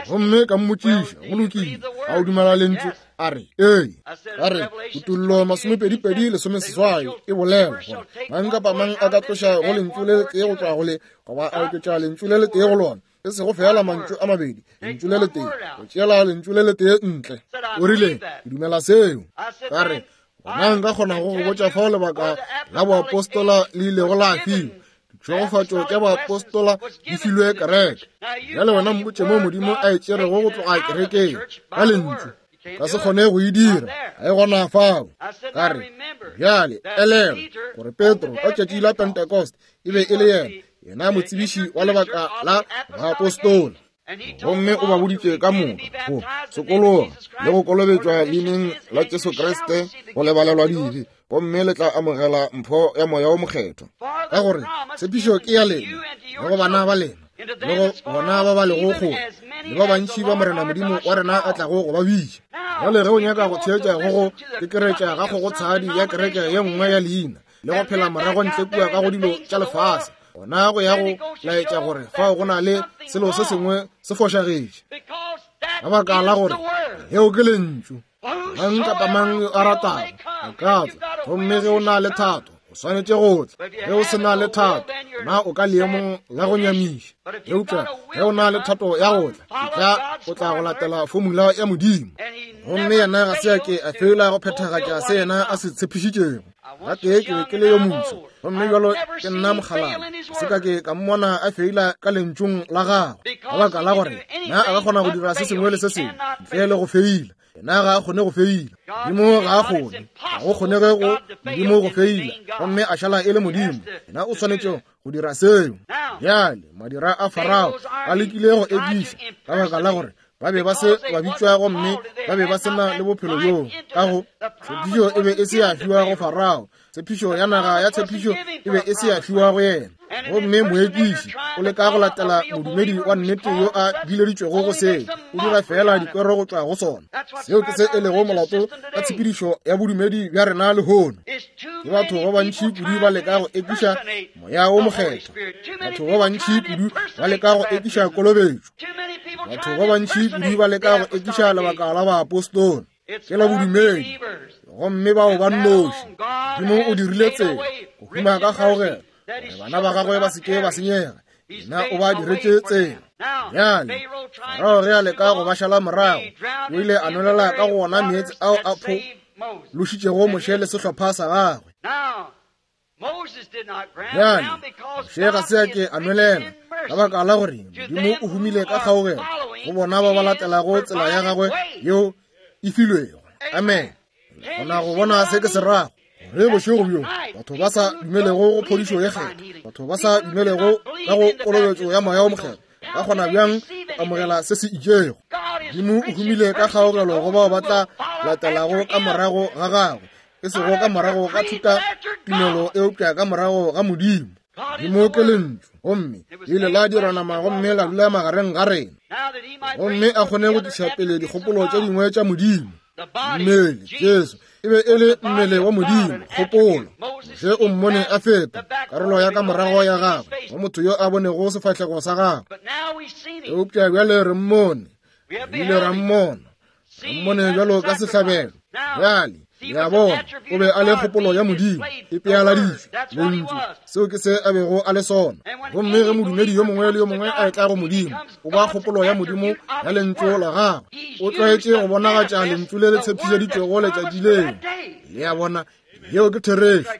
Gomme ka mmotšiša, go lokile, a o dumela lentšu? A re, ee. Ka re, Kutollo 28:18 e bolela gore mang kapa mang a ka tloša go lentšu le letee go tšwa go le, goba a oketša lentšu le letee go lona, e sego feela mantšu a mabedi, lentšu le letee, go tšeela lentšu le letee ntle. O rile, ke dumela seo. Ka re, gona nka kgonago go botša fao lebaka la boapostola le ilego la fiwa. Ditšhegofatšo tša boapostola di filwe kereke. Bjale wena mpotše mo Modimo a e tšerego go tloga kerekeng ka lentšu. Ka se kgone go e dira, ga e gona fao. Ka re, bjale elelwa gore Petro ka tšatši la Pentecost e be e le yena, yena motsebiši wa lebaka la boapostola. Gomme o ba boditše ka moka go sokologa le go kolobetšwa leineng la Jesu Kriste go lebalelwa dibe, gomme le tla amogela mpho ya Moya wo Mokgethwa. Ka gore tshepišo ke ya lena le go bana ba lena le go bona ba ba lego kgole le ba bantši ba Morena Modimo wa rena a tlago go ba bitša. Bjale ge o nyaka go theetša go go kekeretša ga kgogotshadi ya kereke ye nngwe ya leina le go phela morago ntle kua ka go dilo tša lefase, gona go ya go laetša gore fao go na le selo se sengwe se fošagetše, ka baka la gore yeo ke lentšu. Mang kapa mang yo a ratago a ka tla, gomme ge o na le thato o swanetše go tla. Ge o se na le thato, na o ka leemong la go nyamiša. Eupša ge o na le thato ya go tla, etla o tla go latela fomula ya Modimo. Gomme yena ga se a ke a feela go phethagatša se yena a se tshepišitšego. Gatee ke be ke le yo moso, gomme bjalo ke nna mokgalabje, se ka ke ka mmona a feila ka lentšung la gagwe, ka baka la gore na a ka kgona go dira se sengwe le se sengwe ntle le go feila. Yena ga a kgone go feila. Modimo ga a kgone, ga go kgonege go Modimo go feila gomme a šala e le Modimo. Yena o swanetše go dira seo. Bjale madira a Farao a lekile go ekiša, ka baka la gore ba be ba se ba bitšwa gomme ba be ba se na le bophelo bjoo ka go tshepišo e be e se ya fiwa go Farao, tshepišo ya naga ya tshepišo e be e se ya fiwa go yena. Gomme moekiši o leka go latela modumedi wa nnete yo a bileditšwego go seo, o dira feela dikwero go tšwa go sona. Seo ke se e lego molato ka tshepedišo ya bodumedi bja rena lehono. Ke batho ba bantši kudu ba leka go ekiša Moya wo Mokgethwa, batho ba bantši kudu ba leka go ekiša kolobetšo, batho ba bantši kudu ba leka go ekiša lebaka la baapostola ke la bodumedi, gomme bao ba nnoši. Modimo o dirile tsela go huma ka kgaogelo gore bana ba gagwe ba se ke ba senyega, yena o ba diretše tsela. Bjale Farao ge a leka go ba šala morago, o ile a nwelela ka go ona meetse ao a phološitšego Moshe le sehlopha sa gagwe. Bjale Moshe ga se a ke a nwelela, ka baka la gore Modimo o humile ka kgaogelo Go bona ba ba latelago tsela ya gagwe yeo e filwego. Amen. Kgona go bona se ke se rago. Gore bošego bjo batho ba sa dumelego go phodišo ye kgethwa, batho ba sa dumelego ka go kolobetšo ya Moya wo Mokgethwa, ba kgona bjang go amogela se se itšego? Modimo o humile ka kgaogelo go bao ba tla latelago ka morago ga gagwe, e sego ka morago ga thuta tumelo, eupša ka morago ga Modimo. Modimo ke Lentšu, gomme le ile la dira nama gomme la dula magareng ga rena, gomme a kgone go tliša pele dikgopolo tše dingwe tša Modimo. Mmele, Jesu, e be e le mmele wa Modimo, kgopolo. Moshe o mmone a feta, karolo ya ka morago ya gagwe, wa motho yo a bonego sefahlego sa gagwe. Eupša bjale re mmone, re ile ra mmona, re mmone bjalo ka sehlabelo. Bjale, le a bona, o be a le kgopolo ya Modimo, e pealaditšwe, Lentšu, seo ke se a bego a le sona. Gomme ge modumedi yo mongwe le yo mongwe a etla go Modimo, o ba kgopolo ya Modimo ya Lentšu la gagwe. O tlwaetše go bonagatša Lentšu le le tshepišeditšwego letšatši leo. Le a bona, yeo ke therešo.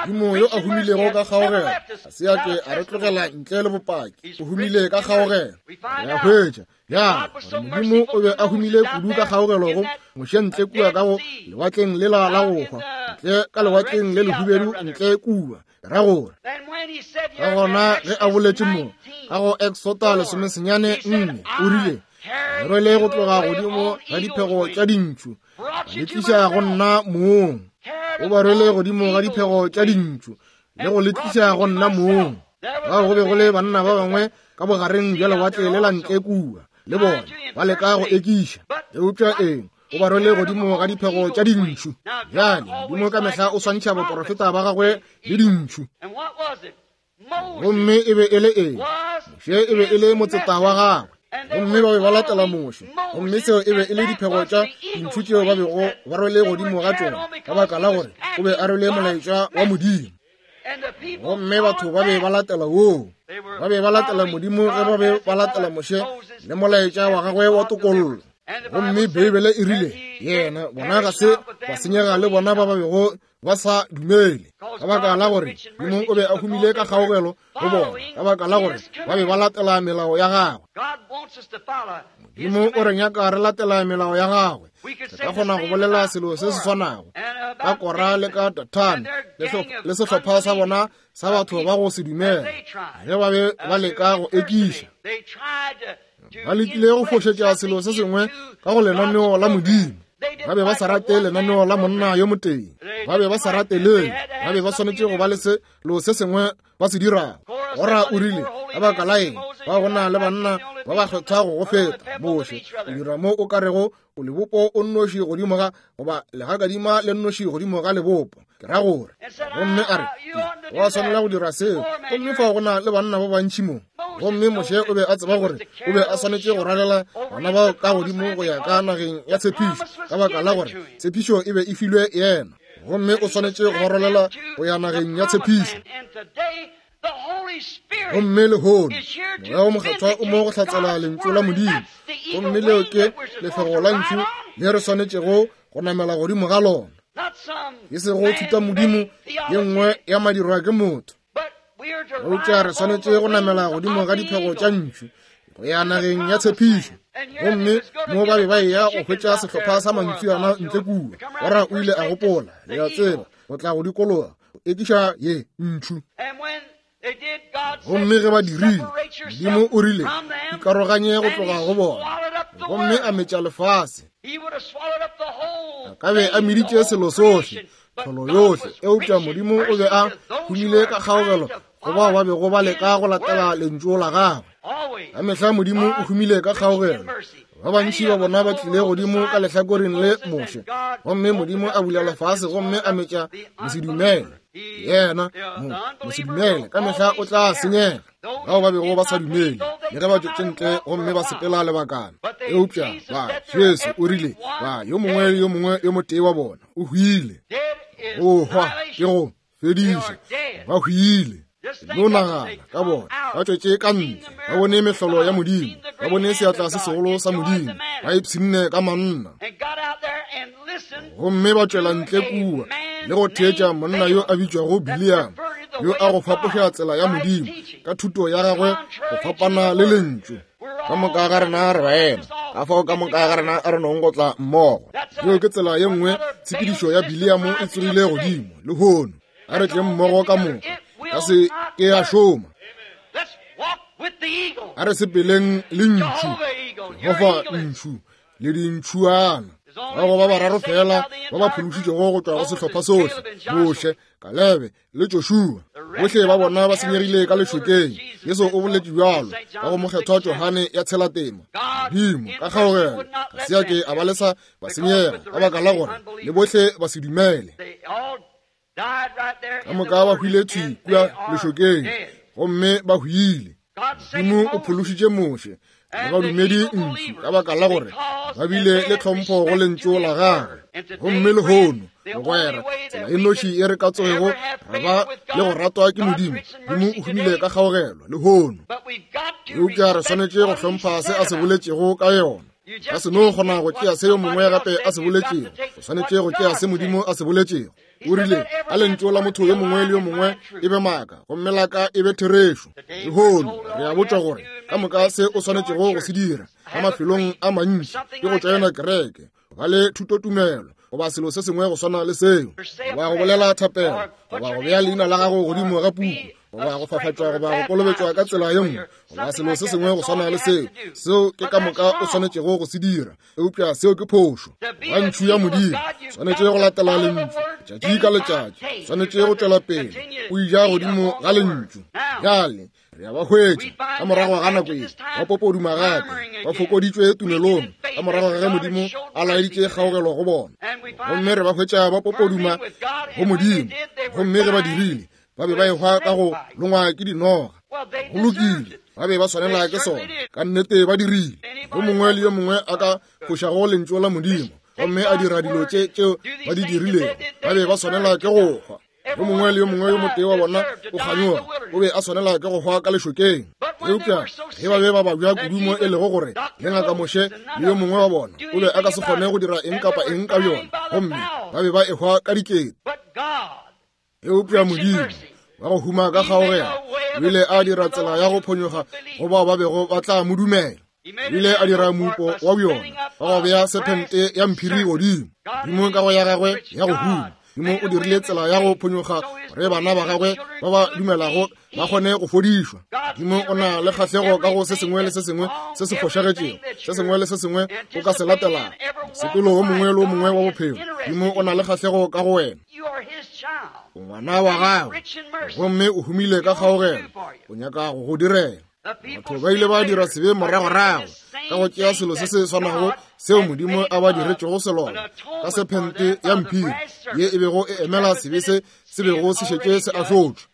Modimo yo a humilego ka kgaogelo ga se a ke a re tlogela ntle le bopaki. O humile ka kgaogelo. Re a hwetša ya gore Modimo o be a humile kudu ka kgaogelo go Moshe ntle kua ka go lewatleng lela la go hwa, ntle ka lewatleng le lehubedu ntle kua. Ra gore ka gona ge a boletše mo ka go Exota 14, o rile, Le rwele go tloga godimo ga diphego tša dintšu, le tliša go nna mong. O ba rwele godimo ga diphego tša dintšu le go le tliša go nna mong. Bao go be go le banna ba bangwe ka bogareng bja lewatle le la ntle kua, le bona ba leka go ekiša. Eupša eng? O ba rwele godimo ga diphego tša dintšhu. Bjale, Modimo ka mehla o swantšha baporofeta ba gagwe le dintšhu. Gomme e be e le eng? Moshe e be e le motseta wa gagwe, gomme ba be ba latela Moshe. Gomme seo e be e le diphego tša dintšhu tšeo ba bego ba rwele godimo ga tšona, ka baka la gore o be a rwele molaetša wa Modimo. Gomme batho ba be ba latela woo. Ba be ba latela Modimo ge ba be ba latela Moshe le molaetša wa gagwe wa tokollo. Gomme Beibele e rile, yena, bona ga se ba senyega le bona ba ba bego ba sa dumele, ka baka la gore Modimo o be a humile ka kgaogelo go bona, ka baka la gore ba be ba latela melao ya gagwe. Modimo o re nyaka re latela melao ya gagwe. Re ka kgona go bolela selo se se swanago ka Kora le ka Dathane le sehlopha sa bona sa batho ba go se dumele ge ba be ba leka go ekiša. Ba lekile go fošetša selo se sengwe ka go lenaneo la Modimo. Ba be ba sa rate lenaneo la monna yo motee. Ba be ba sa rate leo. Ba be ba swanetše go ba le selo se sengwe ba se dirago. Kora o rile, ka baka la eng, ba go na le banna ba ba kgethwa go go feta Moshe. O dira mo o ka rego o lebopo o nnoši godimo ga, goba legakadima le nnoši godimo ga lebopo. Ke ra gore. Gomme a re, wa swanela go dira seo. Gomme fa go na le banna ba bantši mo. Gomme Moshe o be a tseba gore o be a swanetše go rwalela bana bao ka godimo go ya ka nageng ya tshepišo, ka baka la gore tshepišo e be e filwe yena. Gomme o swanetše go ba rwalela go ya nageng ya tshepišo. Gomme lehono Moya wo Mokgethwa o mo go hlatsela Lentšu la Modimo, gomme leo ke lefego la ntšu le re swanetšego go namela godimo ga lona, e sego thutamodimo ye nngwe ya madirwa ke motho. Eupša re swanetše go namela godimo ga diphego tša ntšu go ya nageng ya tshepišo. Gomme mo ba be ba eya go hwetša sehlopha sa mantšiana ntle kua, Kora o ile a gopola, le a tseba, go tla go dikologa go ekiša ye ntšhu. Gomme ge ba dirile, Modimo o rile, ikaroganye go tloga go bona, gomme a metša lefase. A ka be a meditše selo sohle, tlholo yohle, eupša Modimo o be a humile ka kgaogelo go bao ba bego ba leka go latela lentšu la gagwe. Ka mehla Modimo o humile ka kgaogelo. Ba bantši ba bona ba tlile godimo ka lehlakoreng le Moshe, gomme Modimo a bula lefase gomme a metša mosedumele. Yena mosedumele ka mehla o tla senyega. Bao ba bego ba sa dumele, le ge ba tšwetše ntle gomme ba sepela lebakana, eupša ba Jesu o rile ba yo mongwe le yo mongwe yo motee wa bona o hwile. Go hwa ke go fediša, ba hwile. No nagana ka bona ba tšwetše ka ntle, ba bone mehlolo ya Modimo, ba bone seatla se segolo sa Modimo, ba ipshinne ka manna, gomme ba tšwela ntle kua le go theetša monna yo a bitšwago Bileama, yo a go fapoša tsela ya Modimo ka thuto ya gagwe go fapana le Lentšu. Ka moka ga rena re baena, ka fao ka moka ga rena a re nong go tla mmogo. Yeo ke tsela ye nngwe tshepedišo ya Bileamo e tsogile godimo lehono. A re tleng mmogo ka moka, ka se ke ya šoma. A re sepeleng le ntšhu, Jehofa ntšhu le dintšhuana. Ba go ba bararo fela ba ba phološitšego go tšwa go sehlopha sohle, Moshe, Kalebe le Joshua. Bohle ba bona ba senyegile ka lešokeng. Jesu o boletše bjalo ka go mokgethwa Johane ya tshelatema. Modimo ka kgaogelo ga se a ke a ba lesa ba senyega ka baka la gore le bohle ba se dumele. Ka moka ba hwile thwi kua lešokeng gomme ba hwile. Modimo o phološitše Moshe le badumedi ntši ka baka la gore ba bile le tlhompho go lentšu la gagwe. Gomme lehono, mogwera, tsela e noši e re ka tsogego ra ba le go ratwa ke Modimo, Modimo o humile ka kgaogelo lehono. Eupša re swanetše go hlompha se a se boletšego ka yona. Ka se no kgona go tšea se yo mongwe gape a se boletšego, o swanetše go tšea se Modimo a se boletšego. O rile, a lentšu la motho yo mongwe le yo mongwe e be maaka, gomme la ka e be therešo. Lehono re a botšwa gore ka moka se o swanetšego go se dira ka mafelong a mantši ke go tšoena kereke, go ba le thutotumelo goba selo se sengwe go swana le seo, goba go bolela thapelo, goba go bea leina la gago godimo ga puku, goba go fafatšwa goba go kolobetšwa ka tsela ye nngwe, goba selo se sengwe go swana le seo. Seo ke ka moka o swanetšego go se dira. Eupša seo ke phošo. Ba ntšhu ya Modimo swanetše go latela lentšu letšatši ka letšatši, swanetše go tšwela pele o ija godimo ga lentšu. Bjale re a ba hwetša ka morago ga nako ye ba popoduma gape, ba fokoditšwe tumelong ka morago ga ge Modimo a laeditše kgaogelo go bona. Gomme re ba hwetša ba popoduma go Modimo, gomme ge ba dirile, ba be ba ehwa ka go longwa ke dinoga. Go lokile, ba be ba swanela ke sona, ka nnete ba dirile. Yo mongwe le yo mongwe a ka fošago lentšu la Modimo gomme a dira dilo tše tšeo ba di dirilego, ba be ba swanela ke go hwa. Yo mongwe le yo mongwe yo motee wa bona o kganyoga, o be a swanela ke go hwa ka lešokeng. Eupša ge ba be ba babja kudu mo e lego gore le ngaka Moshe le yo mongwe wa bona o be a ka se kgone go dira eng kapa eng ka bjona, gomme ba be ba ehwa ka dikete. Eupša Modimo wa go huma ka kgaogelo o ile a dira tsela ya go phonyokga go bao ba bego ba tla mo dumela. O ile a dira moupo wa bjona wa go bea sephente ya mphiri godimo. Modimo ka go ya gagwe ya go huma, Modimo o dirile tsela ya go phonyokga gore bana ba gagwe ba ba dumelago ba kgone go fodišwa. Modimo o na le kgahlego ka go se sengwe le se sengwe se se fošagetšego, se sengwe le se sengwe o ka se latelago, mosepelo wo mongwe le wo mongwe wa bophelo. Modimo o na le kgahlego ka go wena. O ngwana wa gagwe gomme o humile ka kgaogelo, o nyaka go go direla. Batho ba ile ba dira sebe moragorago ka go tšea selo se se swanago seo Modimo a ba diretšego selona ka sephente ya mphiri ye e bego e emela sebe se se bego se šetše se ahlotšwe,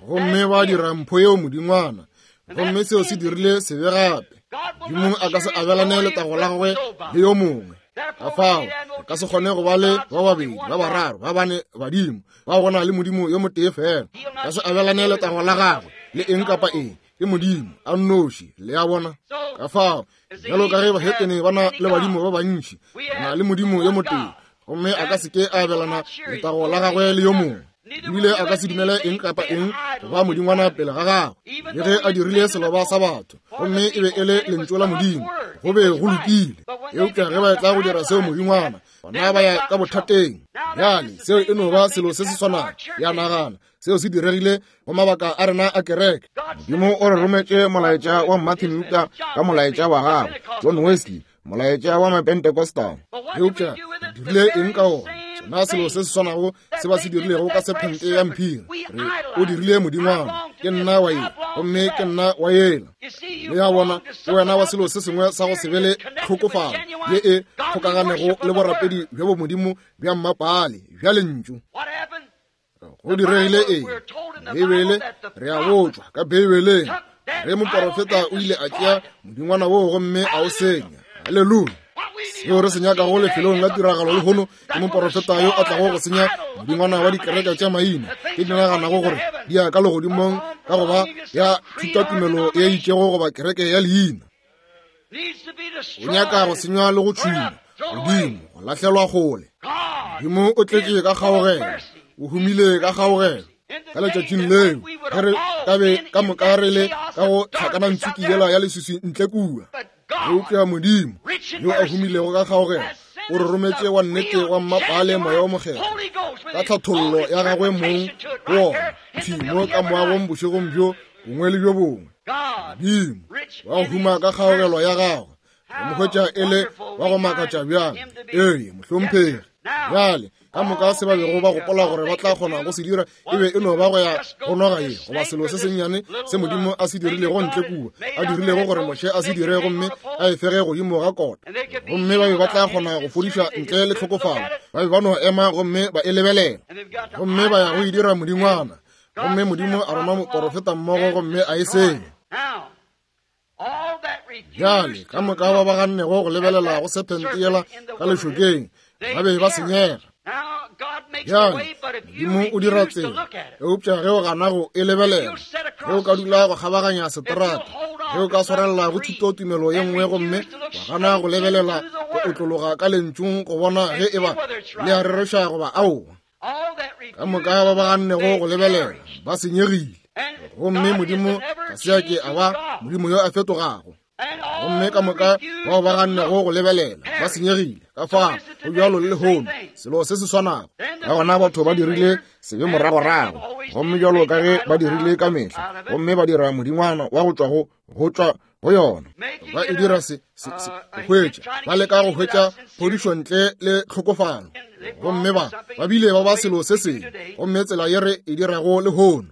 gomme ba dira mpho yeo modingwana, gomme seo se dirile sebe gape. Modimo a ka se abelane letago la gagwe le yo mongwe. Ka fao re ka se kgone go ba le ba babedi, ba bararo, ba bane badimo, ba go na le Modimo yo motee fela. Ka se abelane letago la gagwe le eng kapa eng, ke Modimo a nnoši. Le a bona? Ka fao bjalo ka ge bahetene ba na le badimo ba bantši, re na le Modimo yo motee, gomme a ka se ke a abelana letago la gagwe le yo mongwe. Ebile a ka se dumele eng kapa eng go ba modingwana pele ga gagwe, le ge a dirile seloba sa batho, gomme e be e le lentšu la Modimo, go be go lokile. Eupša ge ba etla go dira seo modingwana, gona ba ya ka bothateng. Bjale seo e no ba selo se se swanago, ya nagana seo se diregile go mabaka a rena a kereke. Modimo o re rometše molaetša wa Martin Luther ka molaetša wa gagwe, John Wesley molaetša wa Mapentecostal. Eupša re dirile eng ka ona? Sona selo se se swanago se ba se dirilego ka sephente ya mphiri. Re o dirile modingwana, ke nna wa ye gomme ke nna wa yela. Le ya bona, ke wena wa selo se sengwe sa go se be le tlhokofalo ye e kgokaganego le borapedi bja bomodimo bja mmapaale bja lentšu. Go diregile eng? Beibele, re a botšwa ka Beibeleng ge moporofeta o ile a tšea modingwana woo gomme a o senya. Haleluya! Seo re se nyakago lefelong la tiragalo lehono ke moporofeta yo a tlago go senya modingwana wa dikereke tša maina tše di naganago gore di ya ka legodimong ka go ba ya thutatumelo ye itšego goba kereke ya leina. O nyaka go senywa le go tšhuma godimo, go lahlelwa kgole. Modimo o tletše ka kgaogelo, o humile ka kgaogelo. Ka letšatšing leo ge re ka be ka moka re le ka go tlhakanantsuki yela ya leswiswi ntle kua, eupša Modimo yo a humilego ka kgaogelo o re rometše wa nnete wa mmapaale Moya wo Mokgethwa ka tlhathollo ya gagwe mong go wona thwi mo ka moagong bošegong bjo bongwe le bjo bongwe. Modimo wa go huma ka kgaogelo ya gagwe re mo hwetša e le wa go makatša bjang. Ee, mohlomphegi. Bjale ka moka se ba bego ba gopola gore ba tla kgona go se dira e be e no ba go ya go noga ye goba selo se sennyane se Modimo a se dirilego ntle kua, a dirilego gore Moshe a se dire gomme a e fege godimo ga kota, gomme ba be ba tla kgona go fodiša ntle le tlhokofalo. Ba be ba no ema gomme ba e lebelela gomme ba ya go e dira modingwana, gomme Modimo a roma moporofeta mmogo gomme a e senya. Bjale ka moka ba ba gannego go lebelela go sephente yela ka lešokeng ba be ba senyega. Bjale Modimo o dira tsela, eupša ge o gana go e lebelela, ge o ka dula go kgabaganya seterata, ge o ka swarelela go thutotumelo ye nngwe gomme wa gana go lebelela go otlologa ka lentšung go bona ge e ba le a rereša goba aowa, ka moka ba ba gannego go lebelela ba senyegile. Gomme Modimo ga se a ke a ba Modimo yo a fetogago. Gomme ka moka bao ba gannego go lebelela ba senyegile. Ka fao go bjalo le lehono, selo se se swanago. Ka gona batho ba dirile sebe moragorago, gomme bjalo ka ge ba dirile ka mehla, gomme ba dira modingwana wa go tšwa go go tšwa go yona. Ba e dira se, se, se, go hwetša, ba leka go hwetša phodišo ntle le tlhokofalo, gomme ba, ba bile ba ba selo se sengwe, gomme tsela ye re e dirago lehono.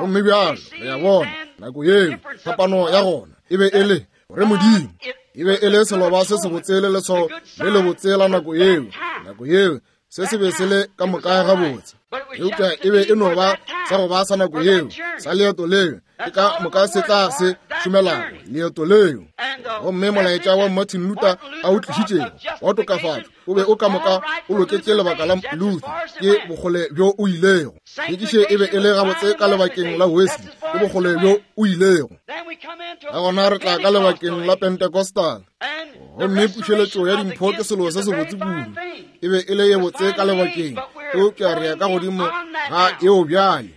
Gomme bjalo re a bona nako yeo phapano ya gona e be e le gore Modimo e be e le seloba se sebotse le leswao le lebotse la nako yeo. Nako yeo se se be se le ka moka gabotse, eupša e be e no ba sa go ba sa nako yeo, sa leeto leo, ke ka moka se tla se šomelago leeto leo. Gomme molaetša wa Martin Luther a o tlišitšego wa tokafatšo o be o ka moka o loketše lebaka la Luther, ke bokgole bjo o ilego. Hlwekiše e be e le gabotse ka lebakeng la Wesley, ke bokgole bjo o ilego. Ka gona re tla ka lebakeng la Pentecostal, gomme pušeletšo ya dimpho ke selo se sebotse kudu, e be e le ye botse ka lebakeng, eupša re ya ka godimo ga yeo bjale,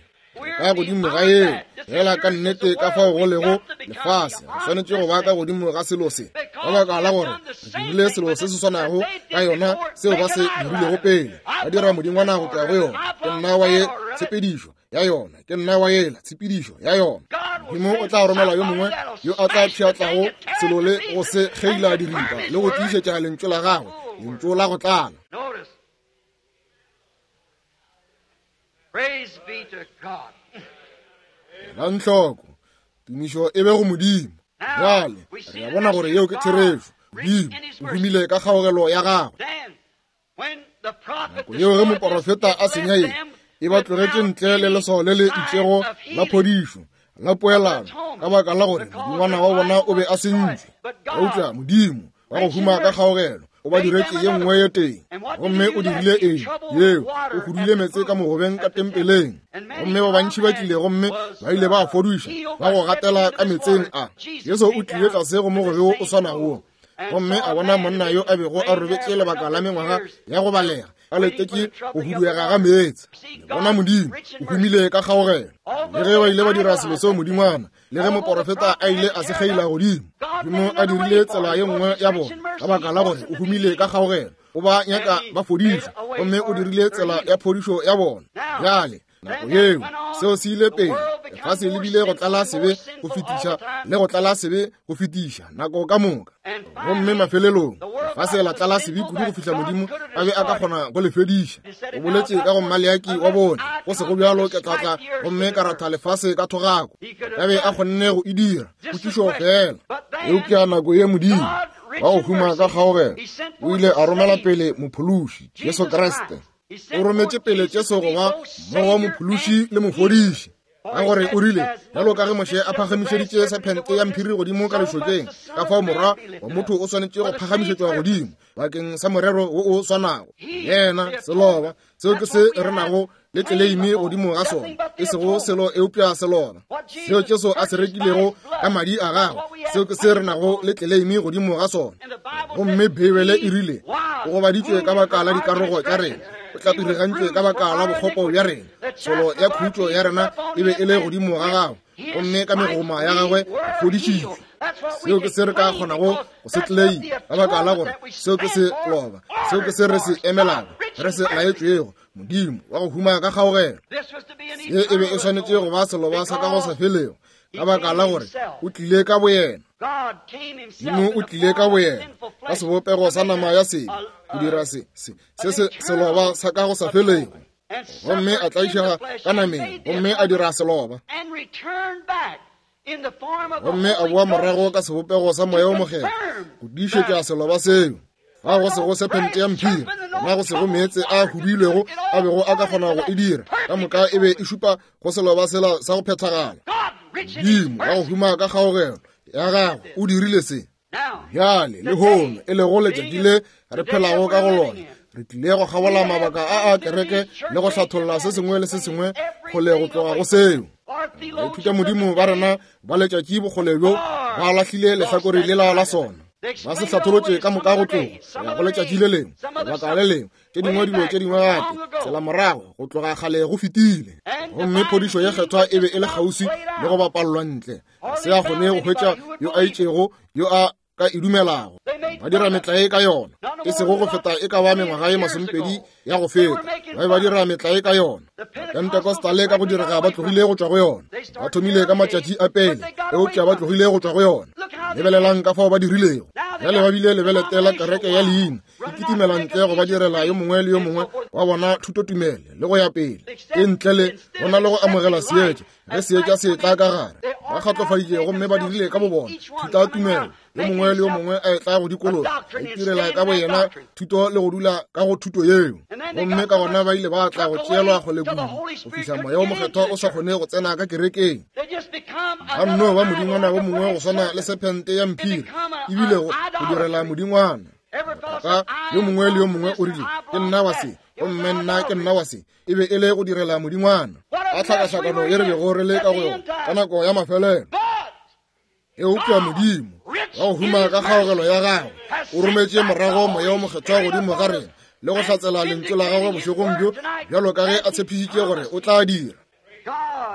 ka godimo ga yeo fela ka nnete ka fao go lego lefase. Re swanetše go ba ka godimo ga selo se, ka baka la gore re dirile selo se se swanago ka yona seo ba se dirilego pele, ba dira modingwana go tšwa go yona. Ke nna wa ye tshepedišo ya yona, ke nna wa yela tshepedišo ya yona. Modimo o tla romela yo mongwe yo a tla pšhatlago selo le go se kgeila diripa le go tiišetša lentšu la gagwe, lentšu la go tlala. Elang hloko, tumišo e be go Modimo. Bjale re a bona gore yeo ke therešo. Modimo o humile ka kgaogelo ya gagwe. Nako yeo ge moporofeta a senya ye, e ba tlogetše ntle le leswao le le itšego la phodišo la poelano, ka baka la gore modingwana wa bona o be a sentšwe. Eupša Modimo wa go huma ka kgaogelo o ba diretše ye nngwe ye teng. Gomme o dirile eng? Yeo, o hudule meetse ka mogobeng ka tempeleng, gomme ba bantši ba tlile gomme ba ile ba fodišwa ba go gatela ka meetseng a. Jesu o tlile tlase go mogobe wo o swanago wo, gomme a bona monna yo a bego a robetše lebaka la mengwaga ya go balega a letetše go huduega ga meetse. Le bona Modimo o humile ka kgaogelo. Le ge ba ile ba dira selo seo modingwana, le ge moporofeta a ile a se kgeila godimo, Modimo a dirile tsela ye nngwe ya bona, ka baka la gore o humile ka kgaogelo, o ba nyaka ba fodišwa, gomme o dirile tsela ya phodišo ya bona. Bjale nako yeo seo se ile pele, lefase le bile go tlala sebe go fetiša le go tlala sebe go fetiša nako ka moka, gomme mafelelong lefase la tlala sebe kudu go fihla Modimo a be a ka kgona go le fediša. O boletše ka go Maleaki wa bone, go sego bjalo ke tla tla gomme ka ratha lefase ka thogako. Ka be a kgonne go e dira, potšišo fela. Eupša nako ye Modimo wa go huma ka kgaogelo o ile a romela pele Mophološi Jesu Kriste. O rometše pele Jesu go ba mmogo wa Mophološi le Mofodiši, ka gore o rile, bjalo ka ge Moshe a phagamišeditše sephente ya mphiri godimo ka lešokeng, ka fao Morwa wa motho o swanetše go phagamišetšwa godimo bakeng sa morero wo o swanago. Yena seloba, seo ke se re nago le tleleime godimo ga sona, e sego selo eupša seloba seo Jesu a se rekilego ka madi a gagwe, seo ke se re nago le tleleime godimo ga sona. Gomme Beibele e rile o gobaditšwe ka baka la dikarogo tša rena. O tlapirigantšwe ka baka la bokgopo bja rena. Tsholo ya khutšo ya rena e be e le godimo ga gagwe, gomme ka megoma ya gagwe re fodišitšwe. Seo ke se re ka kgonago go se tleleima, ka baka la gore seo ke se loba, seo ke se re se emelago, re se laetšwego, Modimo wa go huma ka kgaogelo. Se e be e swanetše go ba seloba sa ka go sa felego, ka baka la gore o tlile ka boyena. Modimo o tlile ka boyena ka sebopego sa nama ya sebe go dira se se se se seloba sa ka go sa felego, gomme a tlaišega ka nameng, gomme a dira seloba, gomme a boa morago ka sebopego sa Moya wo Mokgethwa go tiišetša seloba seo. Ga go sego sephente ya mphiri, gona go sego meetse a huduilwego a bego a ka kgona go e dira. Ka moka e be e šupa go seloba sela sa go phethagala. Modimo wa go huma ka kgaogelo ya gagwe o dirile se. Bjale lehono, e lego letšatši le re phelago ka go lona, re tlile go kgabola mabaka a a kereke le go hlatholla se sengwe le se sengwe kgole go tloga go seo. Baithuta modimo ba rena ba letšatši bokgole bjo ba lahlile lehlakore lela la sona, ba se hlatholotše ka moka go tloga go ya go letšatši le lengwe, lebaka le lengwe, tše dingwe dilo tše dingwe gape, tsela morago go tloga kgale go fetile. Gomme phodišo ye kgethwa e be e le kgauswi le go bapallwa ntle, ga se a kgone go hwetša yo a itšego yo a ka e dumelago. Ba dira metlae ka yona, e sego go feta e ka ba mengwaga ye masomepedi ya go feta, ba be ba dira metlae ka yona. Pentecostal ka go direga ba tlogile go tšwa go yona. Ba thomile ka matšatši a pele, eupša ba tlogile go tšwa go yona. Lebelelang ka fao ba dirilego. Bjale ba bile lebelete la kereke ya leina, e kitimela ntle go ba direla yo mongwe le yo mongwe wa bona thutotumele le go ya pele, e ntle le go na le go amogela seetša. Ge seetša se etla ka gare, ba kgatlofaditše gomme ba dirile ka bobona thutatumelo, yo mongwe le yo mongwe a etla go dikologa, a itirela ka boyena thuto le go dula ka go thuto yeo. Gomme ka gona ba ile ba tla go tšeelwa kgole kudu go fihla Moya wo Mokgethwa o sa kgone go tsena ka kerekeng. Ba nno ba modingwana wo mongwe go swana le sephente ya mphiri, ebile go direla modingwana. Ka yo mongwe le yo mongwe o rile, Ke nna wa se, gomme nna ke nna wa se. E be e le go direla modingwana. A tlhakahlakano ye re bego re le ka go yona ka nako ya mafelelo. Eupša Modimo wa go huma ka kgaogelo ya gagwe o rometše morago Moya wo Mokgethwa godimo ga rena le go hlatsela lentšu la gagwe bošegong bjo, bjalo ka ge a tshepišitše gore o tla dira.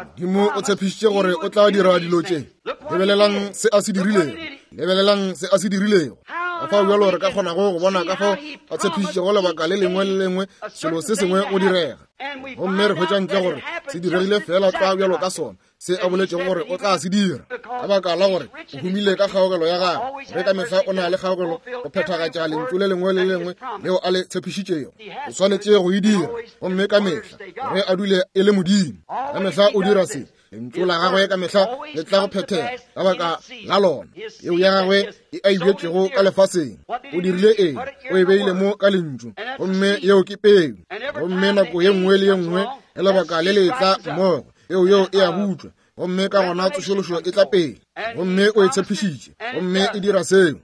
Modimo o tshepišitše gore o tla dira dilo tše. Lebelelang se a se dirilego. Lebelelang se a se dirilego. Ka fao bjalo re ka kgonago go bona ka fao a tshepišitšego lebaka le lengwe le lengwe selo se sengwe go direga. Gomme re hwetša ntle gore se diregile feela tlwa bjalo ka sona se a boletšego gore o tla se dira, ka baka la gore o humile ka kgaogelo ya gagwe. Ge ka mehla o na le kgaogelo go phethagatša lentšu le lengwe le lengwe leo a le tshepišitšego, o swanetše go e dira. Gomme ka mehla ge a dule e le Modimo, ka mehla o dira se. Lentšu la gagwe ka mehla le tla go phethega ka baka la lona. Peu ya gagwe e a e bjetšego ka lefaseng, o dirile eng? O e beile mo ka lentšu, gomme yeo ke peu. Gomme nako ye nngwe le ye nngwe ge lebaka le le tla mmogo, peu yeo e a butšwa, gomme ka gona tsošološo e tla pele. Gomme o e tshepišitše, gomme e dira seo.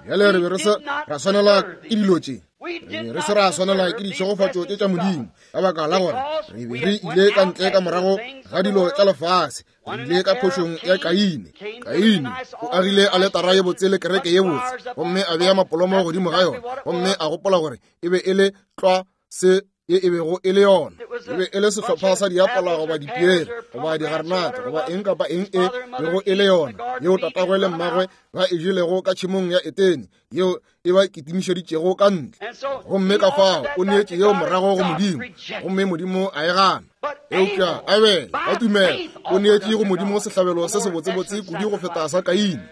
Bjale re be re se ra swanela ke dilo tše. Re be re se ra swanela ke ditšhegofatšo tše tša Modimo, ka baka la gore re be re ile ka ntle ka morago ga dilo tša lefase. Re ile ka phošong ya Kaine. Kaine o agile aletara ye botse le kereke ye botse, gomme a bea mapolomo godimo ga yona, gomme a gopola gore e be e le tlwa se ye e bego e le yona. E be e le sehlopha sa diapola goba dipiere goba digarenate goba eng kapa eng e bego e le yona, yeo tatagwe le mmagwe ba e jelego ka tšhemong ya Etene, yeo e ba kitimišeditšego ka ntle. Gomme ka fao o neetše yeo morago go Modimo, gomme Modimo a e gana. Eupša Abele ka tumelo o neetše go Modimo sehlabelo se sebotsebotse kudu go feta sa Kaine.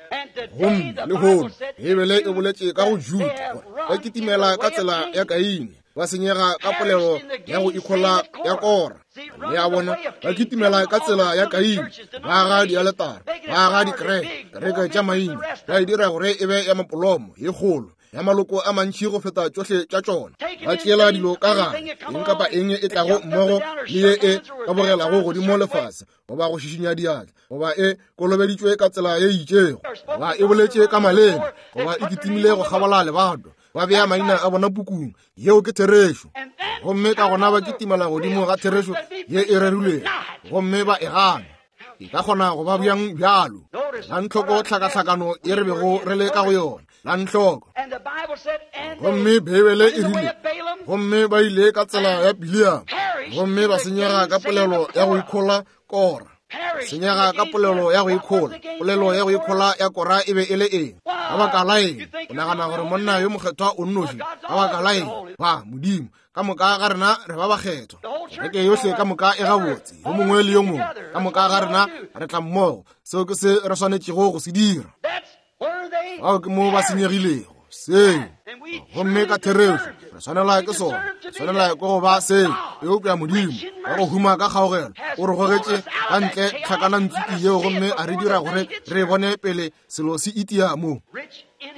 Gomme lehono Beibele e boletše ka go Juda gore ba kitimela ka tsela ya Kaine, ba senyega ka polelo ya go ikhola ya Kora. Le a bona, ba kitimela ka tsela ya Kaine, ba aga dialetara, ba aga dikereke, kereke tša maina, ba e dira gore e be ya mapolomo ye kgolo, ya maloko a mantši go feta tšohle tša tšona. Ba tšeela dilo ka gare, eng kapa eng e tlago mmogo le ye e ka bogelago godimo lefase, goba go šišinya diatla, goba e kolobeditšwe ka tsela ye itšego, goba e boletše ka maleme, goba e kitimile go kgabola lebato, ba bea maina a bona pukung. Yeo ke therešo. Gomme ka gona ba kitimela godimo ga therešo ye e rerilwego, gomme ba e gana. E ka kgona go ba bjang bjalo? Lantlhoko tlhakahlakano ye re bego re le ka go yona, lantlhoko. Gomme Beibele e rile, Gomme ba ile ka tsela ya Bileama, gomme ba senyega ka polelo ya go ikhola Kora. Senyega ka polelo ya go ikhola. Polelo ya go ikhola ya Kora e be e le eng? Ka baka la eng o nagana gore monna yo mokgethwa o nnoši? Ka baka la eng ba Modimo ka moka ga rena re ba bakgethwa? Kereke yohle ka moka e gabotse, yo mongwe le yo mongwe, ka moka ga rena re tla mmogo. Seo ke se re swanetšego go se dira. Bao ke mo ba senyegilego seo, gomme ka therešo re swanela ke sona, re swanela ke go ba seo. Eupša Modimo wa go huma ka kgaogelo o re gogetše ka ntle tlhakanantsuki yeo gomme a re dira gore re bone pele selo se itia mo.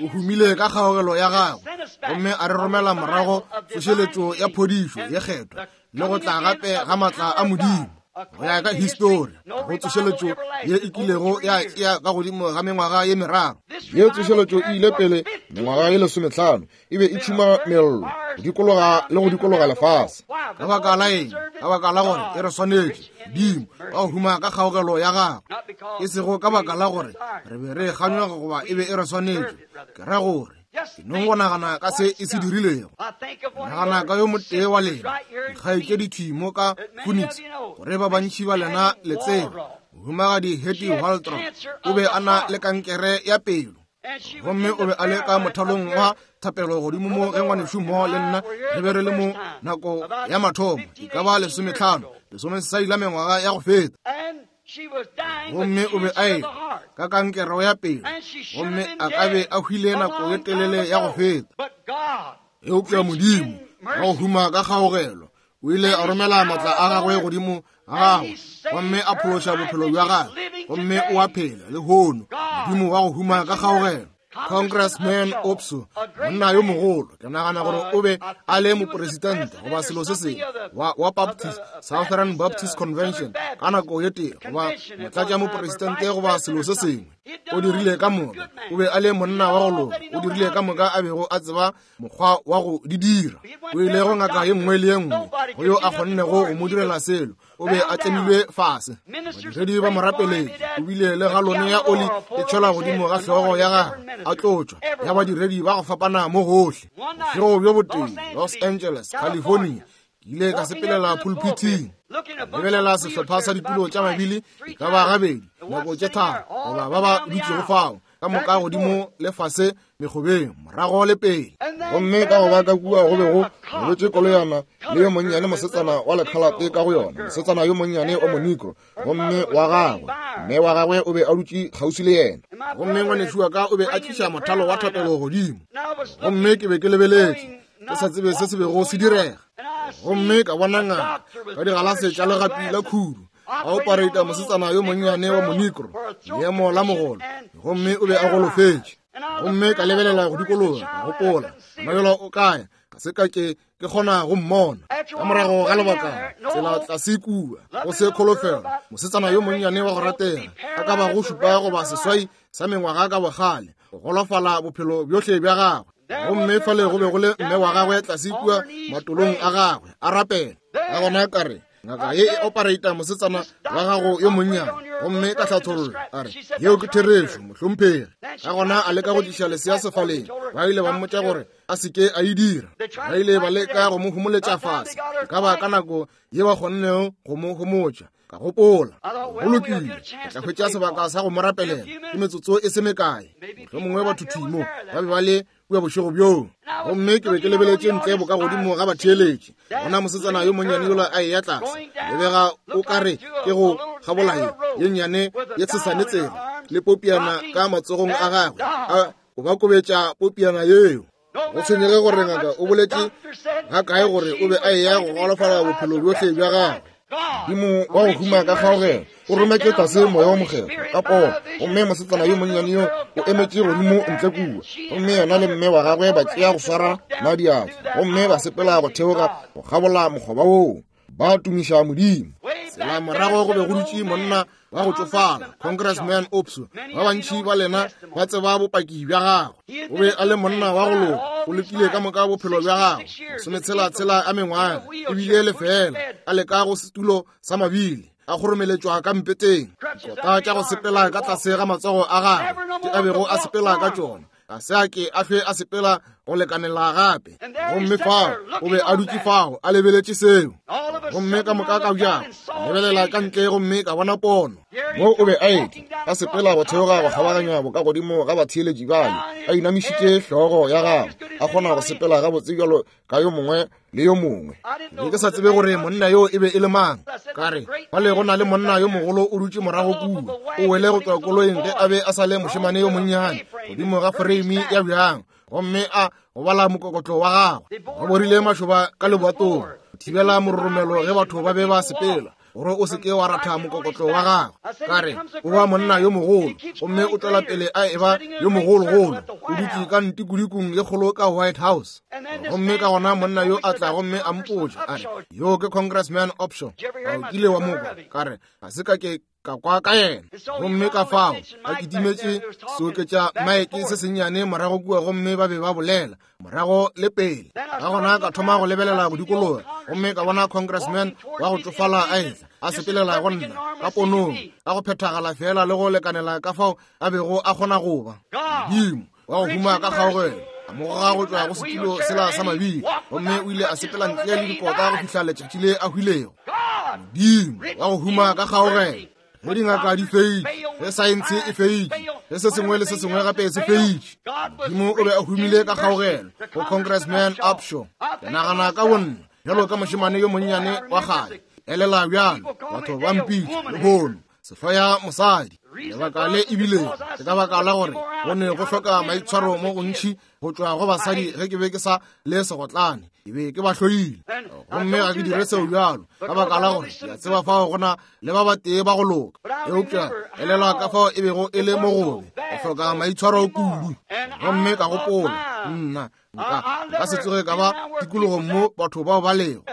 O humile ka kgaogelo ya gagwe gomme a re romela morago tsošeletšo ya phodišo ye kgethwa le go tla gape ga maatla a Modimo. Go ya ka histori, go tsošeletšo ye e kilego ya tšea ka godimo ga mengwaga ye meraro. Ye tsošeletšo e ile pele mengwaga ye 15, e be e tšhuma mello go dikologa le go dikologa lefase. Ka baka la eng? Ka baka la gore e re swanetše. Modimo wa go huma ka kgaogelo ya gagwe, e sego ka baka la gore re be re kganyoga goba e be e re swanetše. Ke ra gore ke nong go nagana ka se e se dirilego. Nagana ka yo motee wa lena dikgaetšedi thwi mo ka Phoenix, gore ba bantši ba lena le tseba mohumagadi Hattie Waldrop o be a na le kankere ya pelo, gomme o be a le ka mothalong wa thapelo godimo mo ge ngwanešu mo le nna re be re le mo nako ya mathomo, e ka ba 15, 16 la mengwaga ya go feta. Gomme o be a ehwa ka kankere ya pelo, gomme a ka be a hwile nako ye telele ya go feta. Eupša Modimo wa go huma ka kgaogelo o ile a romela maatla a gagwe godimo ga gagwe gomme a phološa bophelo bja gagwe, gomme o a phela lehono. Modimo wa go huma ka kgaogelo. Congressman Opso, monna yo mogolo, ke nagana gore o be a le moporesitente goba selo se sengwe wa Baptist, Southern Baptist Convention ka nako ye tee, goba motlatša moporesitente goba selo se sengwe. O dirile ka moka, o be a le monna wa go loka, o dirile ka moka a bego a tseba mokgwa wa go di dira. O ile go ngaka ye nngwe le ye nngwe go yo a kgonnego go mo direla selo. O be a tlemilwe fase, badiredi ba mo rapeletše, o bile le galone ya oli e tšhelwa godimo ga hlogo ya gagwe, a tlotšwa ya badiredi ba go fapana mo gohle. Bošego bjo botee, Los Angeles, California, ke ile ka sepelela pulpiting, lebelela sehlopha sa ditulo tša mabili e ka ba gabedi nako tše tharo goba ba ba dutšego fao ka moka godimo le fase mekgobeng, morago le pele. Gomme ka go ba ka kua go be go robetše koloyana le yo monnyane mosetsana wa lekhalate ka go yona, mosetsana yo monnyane wa monikro, gomme wa gagwe mme wa gagwe o be a dutše kgauswi le yena. Gomme ngwanešu wa ka o be a tliša mothalo wa thapelo godimo, gomme ke be ke lebeletše ke sa tsebe se se bego se direga. Gomme ka bona ngaka ka digalase tša legapi la khudu a opereita mosetsana yo monnyane wa monikro, leemo la mogolo, gomme o be a golofetše. Gomme ka lebelela go dikologa, ka gopola, Mabelo o kae? Ga se ka ke ke kgona go mmona. Ka morago ga lebaka, tsela tlase kua, go se kholofelo, mosetsana yo monnyane wa go ratega, a ka bago 7 goba 8 sa mengwaga ka bogale, go golofala bophelo bjohle bja gagwe. Gomme fale go be go le mme wa gagwe tlase kua matolong a gagwe, a rapela. Ka gona ka re, ngaka ye e opereita mosetsana wa gago yo monnyane. Gomme ka hlatholla, a re, yeo ke therešo, mohlomphegi. Ka gona a leka go tliša lesea sefaleng. Ba ile ba mmotša gore a se ke a e dira. Ba ile ba leka go mo homoletša fase, e ka ba ka nako ye ba kgonnego go mo homotša. Ka gopola, go lokile, ke tla hwetša sebaka sa go mo rapelela ke metsotso e se mekae. Mohlomongwe batho thwi mo ba be ba le kua bošego bjoo. Gomme ke be ke lebeletše ntle boka godimo ga batheeletši, bona mosetsana yo monnyane yola a eya tlase, lebega o ka re ke go kgabolaye ye nnyane ye tshesane tsela, le popiana ka matsogong a gagwe, a o ba kobetša popiana yeo. Go tshwenyege gore ngaka o boletše ga kae gore o be a eya go golofala bophelo bjohle bja gagwe. Modimo wa go huma ka kgaogelo o rometše tlase moya wa mokgethwa ka pono, gomme mosetsana yo monnyane yo o emetše godimo ntle kua, gomme yena le mme wa gagwe ba tšea go swara na diatla gomme ba sepela go theoga go kgabola mokgoba woo, ba tumiša Modimo. Tsela morago go be go dutše monna wa go tšofala, Congressman Opso. Ba bantši ba lena ba tseba bopaki bja gagwe. O be a le monna wa go loka, o lekile ka moka bophelo bja gagwe, masometshela-tshela a mengwaga, ebile lefeela a leka go setulo sa mabili, a kgoromeletšwa ka mpeteng, dikota tša go sepela ka tlase ga matsogo a gagwe tše a bego a sepela ka tšona, ga se a ke a hlwe a sepela go lekanela gape. Gomme fao o be a dutše fao a lebeletše seo. Gomme ka moka ka bjang lebelela ka ntle gomme ka bona pono. Mo o be a etla a sepela go theoga go kgabaganya bokagodimo ga batheeletši bale, a inamišitše hlogo ya gagwe, a kgona go sepela gabotse bjalo ka yo mongwe le yo mongwe. Ke be ke sa tsebe gore monna yo e be e le mang. Ka re, Fale go na le monna yo mogolo o dutše morago kua, o wele go tšwa koloing ge a be a sa le mošemane yo monnyane, godimo ga foreimi ya bjang, gomme a gobala mokokotlo wa gagwe. Ba borile mašoba ka lebatong go thibela mororomelo ge batho ba be ba sepela, gore o se ke wa ratha mokokotlo wa gagwe. Ka re, O ba monna yo mogolo, gomme o tšwela pele a eba yo mogologolo, o dutše ka ntikudikung ye kgolo ka White House. Gomme ka gona monna yo a tla gomme a mpotša, a re, Yo ke Congressman Upshaw. A o kile wa mo kwa? Ka re, Ga se ka ke ka kwa ka yena. Gomme ka fao a kitimetše seoketša maeke se sennyane morago kua, gomme ba be ba bolela morago le pele. Ka gona ka thoma go lebelela go dikologa, gomme ka bona congressman wa go tšofala a etla a sepelela go nna ka ponong, ka go phethagala fela le go lekanela ka fao a bego a kgona go ba. Modimo wa go huma ka kgaogelo a mo goga go tšwa go setulo sela sa mabili, gomme o ile a sepela ntle le dikota go fihla letšatši le a hwilego. Modimo wa go huma ka kgaogelo. Ge dingaka di feitše, ge saense e feitše, ge se sengwe le se sengwe gape se feitše, Modimo o be a humile ka kgaogelo go Congressman Upshaw. Ke nagana ka bonna bjalo ka mošemane yo monnyane wa kgale, elela bjalo, batho ba mpitša lehono sehloya mosadi. Lebaka le ebile ke ka baka la gore go ne go hloka maitshwaro mo gontši go tšwa go basadi ge ke be ke sa le segotlane, ke be ke ba hloile. Gomme ga ke dire seo bjalo ka baka la gore ke a tseba fao go na le ba batee ba go loka. Eupša elelwa ka fao e bego e le mo gobe go hloka maitshwaro kudu. Gomme ka gopola, nna nka se tsoge ka ba tikologong mo batho bao ba lego,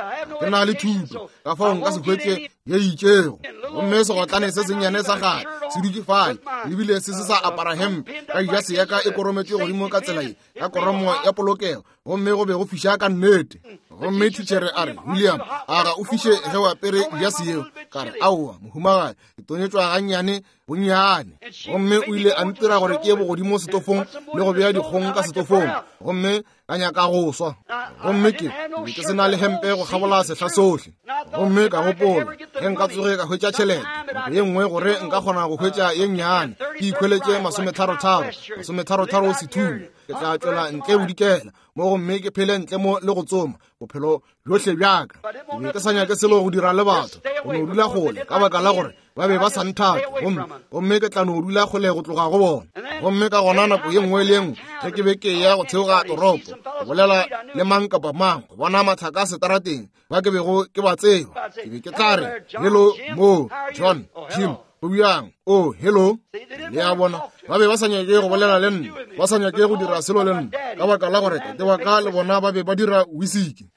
ke na le thuto, ka fao nka se hwetše ye itšego. Gomme segotlane se sennyane sa gale se dutše fale, ebile se se sa apara hempe, ka jase ya ka e korometšwe godimo ka tsela ye, ka koromo ya polokego, gomme go be go fiša ka nnete. Gomme thitšhere a re, William, a ga o fiše ge o apere jase yeo? Ka re, Aowa, mohumagadi, ke tonyetšwa gannyane bonnyane. Gomme o ile a ntira gore ke ye bogodimo setofong le go bea dikgong ka setofong, gomme ka nyaka go swa. Gomme ke be ke se na le hempe go kgabola sehla sohle. Gomme ka gopola, ge nka tsoge ka hwetša tšhelete nako ye nngwe gore nka kgona go hwetša ye nnyane, ke ikhweletše masometharotharo, masometharotharo sethunya, ke tla tšwela ntle bodikela mo gomme ke phele ntle mo le go tsoma bophelo bjohle bjaka. Ke be ke sa nyake selo go dira le batho, go no dula kgole, ka baka la gore ba be ba sa nthate, gomme ke tla no dula kgole go tloga go bona. Gomme ka gona nako ye nngwe le ye nngwe ge ke be ke ya go theoga toropo go bolela le mang kapa mang, go bona mathaka setarateng ba ke bego ke ba tseba, ke be ke tla re, Hello, mo John, Jim, go bjang? Oh, hello. Le a bona, ba be ba sa nyake go bolela le nna, ba sa nyake go dira selo le nna, ka baka la gore tate wa ka le bona ba be ba dira wisiki.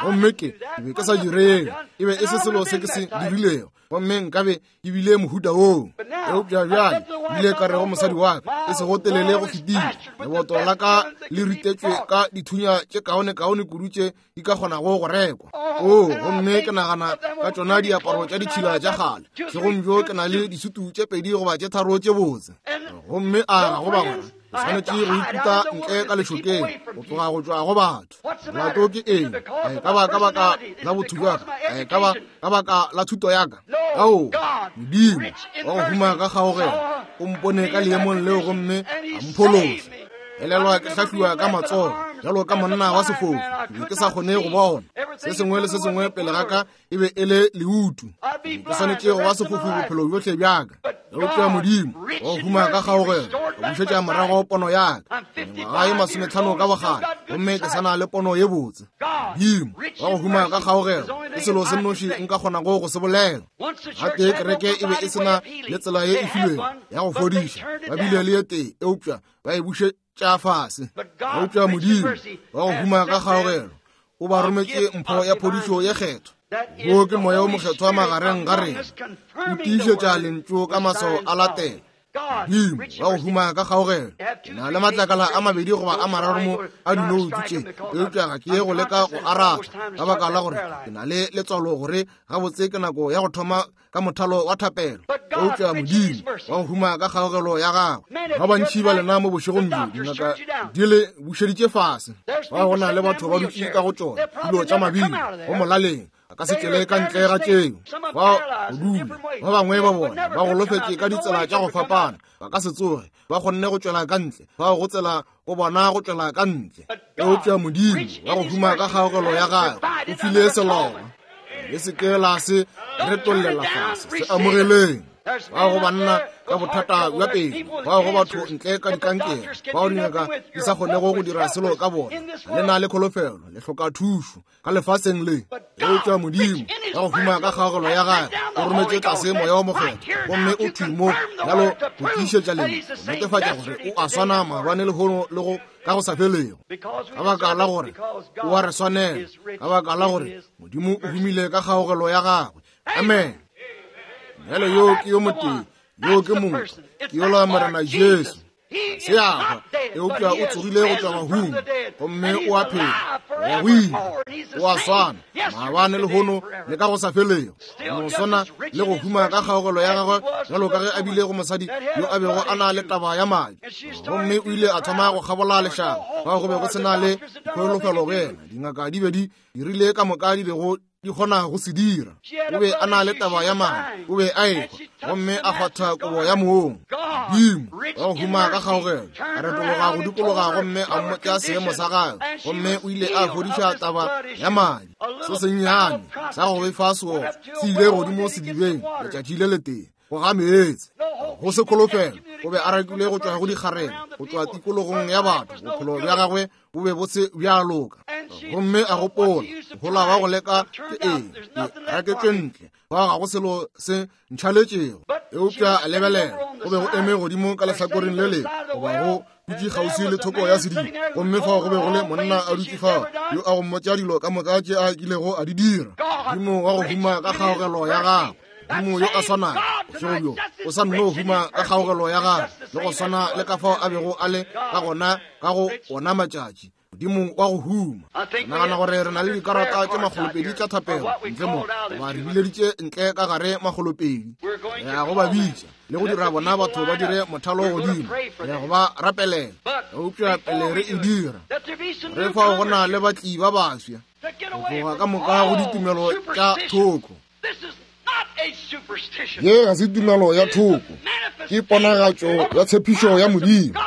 Gomme ke be ke sa direng, e be e se selo se ke se dirilego, gomme nkabe ke bile mohuta woo. Eupša bjale bile ka re go mosadi wa ka, e sego telele go fetile, leboto la ka le ritetšwe ka dithunya tše kaonekaone kudu tše di ka kgonago go rekwa. Oo, gomme ke nagana ka tšona diaparo tša ditšhila tša kgale. Segong bjo ke na le disutu tše pedi goba tše tharo tše botse. Gomme a ga go bagwera, ke swanetše go ikuta ntle ka lešokeng go tloga go tšwa go batho. Molato ke eng? A e ka ba ka baka la botho bja ka? A e ka ba ka baka la thuto ya ka? Ao, Modimo wa go huma ka kgaogelo o mpone ka leemong leo gomme a mphološa. Elelwa ke hlahliwa ka matsogo bjalo ka monna wa sefofu, ke be ke sa kgone go bona. Se sengwe le se sengwe pele ga ka e be e le leutu. Ke swanetše go ba sefofu bophelo bjohle bja ka. Eupša Modimo wa go huma ka kgaogelo a bušetša morago pono ya ka. Mengwaga ye 50 ka bogale, gomme ke sa na le pono ye botse. Modimo wa go huma ka kgaogelo ke selo se nnoši nka kgonago go se bolela. Gatee kereke e be e se na le tsela ye e filwego ya go fodiša, ba bile le ye tee, eupša ba e bušetša fase. Eupša Modimo wa go huma ka kgaogelo o ba rometše mpho ya phodišo ye kgethwa. Wo ke Moya wo Mokgethwa magareng ga rena, o tiišetša lentšu ka maswao a latela. Modimo wa go huma ka kgaogelo. Ke na le matlakala a mabedi goba a mararo mo a dinoutu tše, eupša ga ke ye go leka go aratha ka baka la gore ke na le letswalo gore gabotse ke nako ya go thoma ka mothalo wa thapelo. Eupša Modimo wa go huma ka kgaogelo ya gagwe, ba bantši ba lena mo bošegong bjo dingaka di le bušeditše fase, ba go na le batho ba dutše ka go tšona dilo tša mabilo go molaleng a ka se tšwele ka ntle ga tšeo. Ba go dula ba bangwe ba bona ba golofetše ka ditsela tša go fapana, ba ka se tsoge ba kgonne go tšwela ka ntle, ba go tsela go bona go tšwela ka ntle. Eupša Modimo wa go huma ka kgaogelo ya gagwe o file seloba. Le se ke la se retollela fase, se amogeleng. Bao go banna ka bothata bja pelo, bao go batho ntle ka dikankere, bao dingaka di sa kgonego go dira selo ka bona, le na le kholofelo, le hloka thušo ka lefaseng le. Eupša Modimo ka go huma ka kgaogelo ya gagwe o rometše tlase Moya wo Mokgethwa, gomme o thwi mo bjalo go tiišetša lentšu, go netefatša gore o a swana maabane, lehono le go ka go sa felego. Ka baka la gore o a re swanela, ka baka la gore Modimo o humile ka kgaogelo ya gagwe. Amen. Bjale yo ke yo motee, yo ke motho, ke yola Morena Jesu. Se a hwa, eupša o tsogile go tšwa bahung, gomme o a phela go ya go ile. O a swana maabane, lehono le ka go sa felego. No swana le go huma ka kgaogelo ya gagwe bjalo ka ge a bile go mosadi yo a bego a na le taba ya madi, gomme o ile a thoma go kgabola lešaba fao go be go se na le kholofelo go yena. Dingaka di be di dirile ka moka di bego di kgona go se dira. O be a na le taba ya madi, o be a ehwa, gomme a kgwatha kobo ya mong. Modimo wa go huma ka kgaogelo a retologa go dikologa gomme a mmotša seemo sa gagwe, gomme o ile a fodiša taba ya madi. Se sennyane sa go befa seotswa se ile godimo sedibeng letšatši le letee go ga meetse, go se kholofelo. O be a rakilwe go tšwa go dikgarebe, go tšwa tikologong ya batho. Bophelo bja gagwe bo be bo se bja loka, gomme a gopola, Mohola wa go leka ke eng? Ke raketšwe ntle, fao ga go selo se ntšhaletšego. Eupša a lebelela, go be go eme godimo ka lehlakoreng le lengwe, goba go dutše kgauswi le thoko ya sediba, gomme fao go be go le monna a dutše fao yo a go mmotša dilo ka moka tše a kilego a di dira. Modimo wa go huma ka kgaogelo ya gagwe, Modimo yo a swanago bošego bjo o sa nno huma ka kgaogelo ya gagwe, le go swana le ka fao a bego a le ka gona ka go ona matšatši. Modimo wa go huma. Ke nagana gore re na le dikarata tše makgolopedi tša thapelo ntle mo, goba re bileditše ntle ka gare makgolopedi. Re ya go ba bitša le go dira bona batho ba dire mothalo godimo, re ya go ba rapelela. Eupša pele re e dira, re fao go na le batli ba baswa go tloga ka moka go ditumelo tša thoko. Ye ga se tumelo ya thoko, ke ponagatšo ya tshepišo ya Modimo.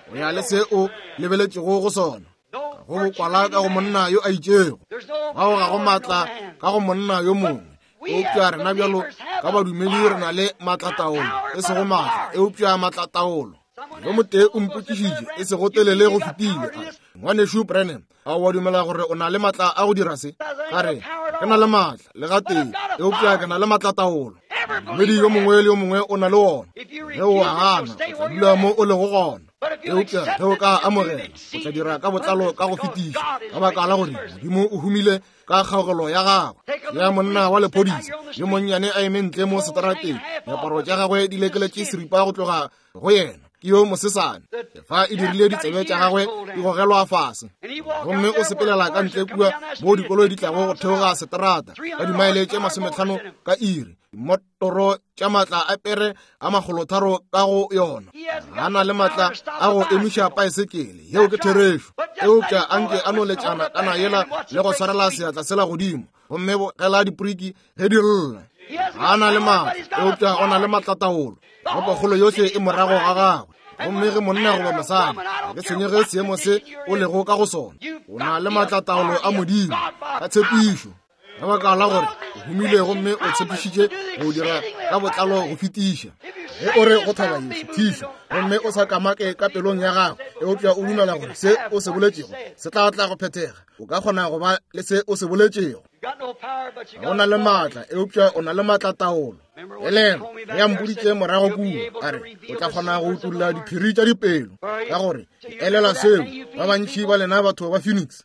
Go ya le se o lebeletšego go sona, ga go bokwala ka go monna yo a itšego, fao ga go maatla ka go monna yo mongwe. Eupša rena bjalo ka badumedi re na le maatlataolo, e sego maatla, eupša maatlataolo. Yo motee o mpotšišitše e sego telele go fetile, a re, Ngwanešu Branham, a wa dumela gore o na le maatla a go dira se? Ka re, ke na le maatla le gatee, eupša ke na le maatlataolo. Modumedi yo mongwe le yo mongwe o na le wona. Ge o a gana, o tla dula mo o lego gona. Eupša ge o ka amogela, o tla dira ka botlalo ka go fetiša, ka baka la gore Modimo o humile ka kgaogelo ya gagwe. Ya monna wa lephodisa yo monnyane a eme ntle mo seterateng, diaparo tša gagwe di lekeletše seripa go tloga go yena, ke yo mosesane, fa e dirile ditsebe tša gagwe di gogelwa fase, gomme o sepelela ka ntle kua mo dikoloi di tlago go theoga seterata ka dimaele tše 50 ka iri, dimotoro tša maatla a pere a 300 ka go yona. Ga na le maatla a go emiša paesekele, yeo ke therešo, eupša a nke a no letšana kana yela le go swarela seatla sela godimo gomme bogela diporiki ge di lla. Ga na le maatla, eupša o na le maatlataolo. Ropokgolo yohle e morago ga gagwe. Gomme ge monna goba mosadi, ga ke tshwenyege seemo se o lego ka go sona, o na le maatlataolo a Modimo ka tshepišo, ka baka la gore o humile gomme o tshepišitše go dira ka botlalo go fetiša. Ge o re go thaba ye šuthišwa gomme o sa kamake ka pelong ya gago, eupša o dumela gore se o se boletšego se tla tla go phethega, o ka kgona go ba le se o se boletšego. Ga o na le maatla, eupša o na le maatlataolo. Elelwa, ge a mpoditše morago kua, a re, o tla kgona go utolla diphiri tša dipelo, ka gore ke elelwa seo. Ba bantši ba lena batho ba Phoenix,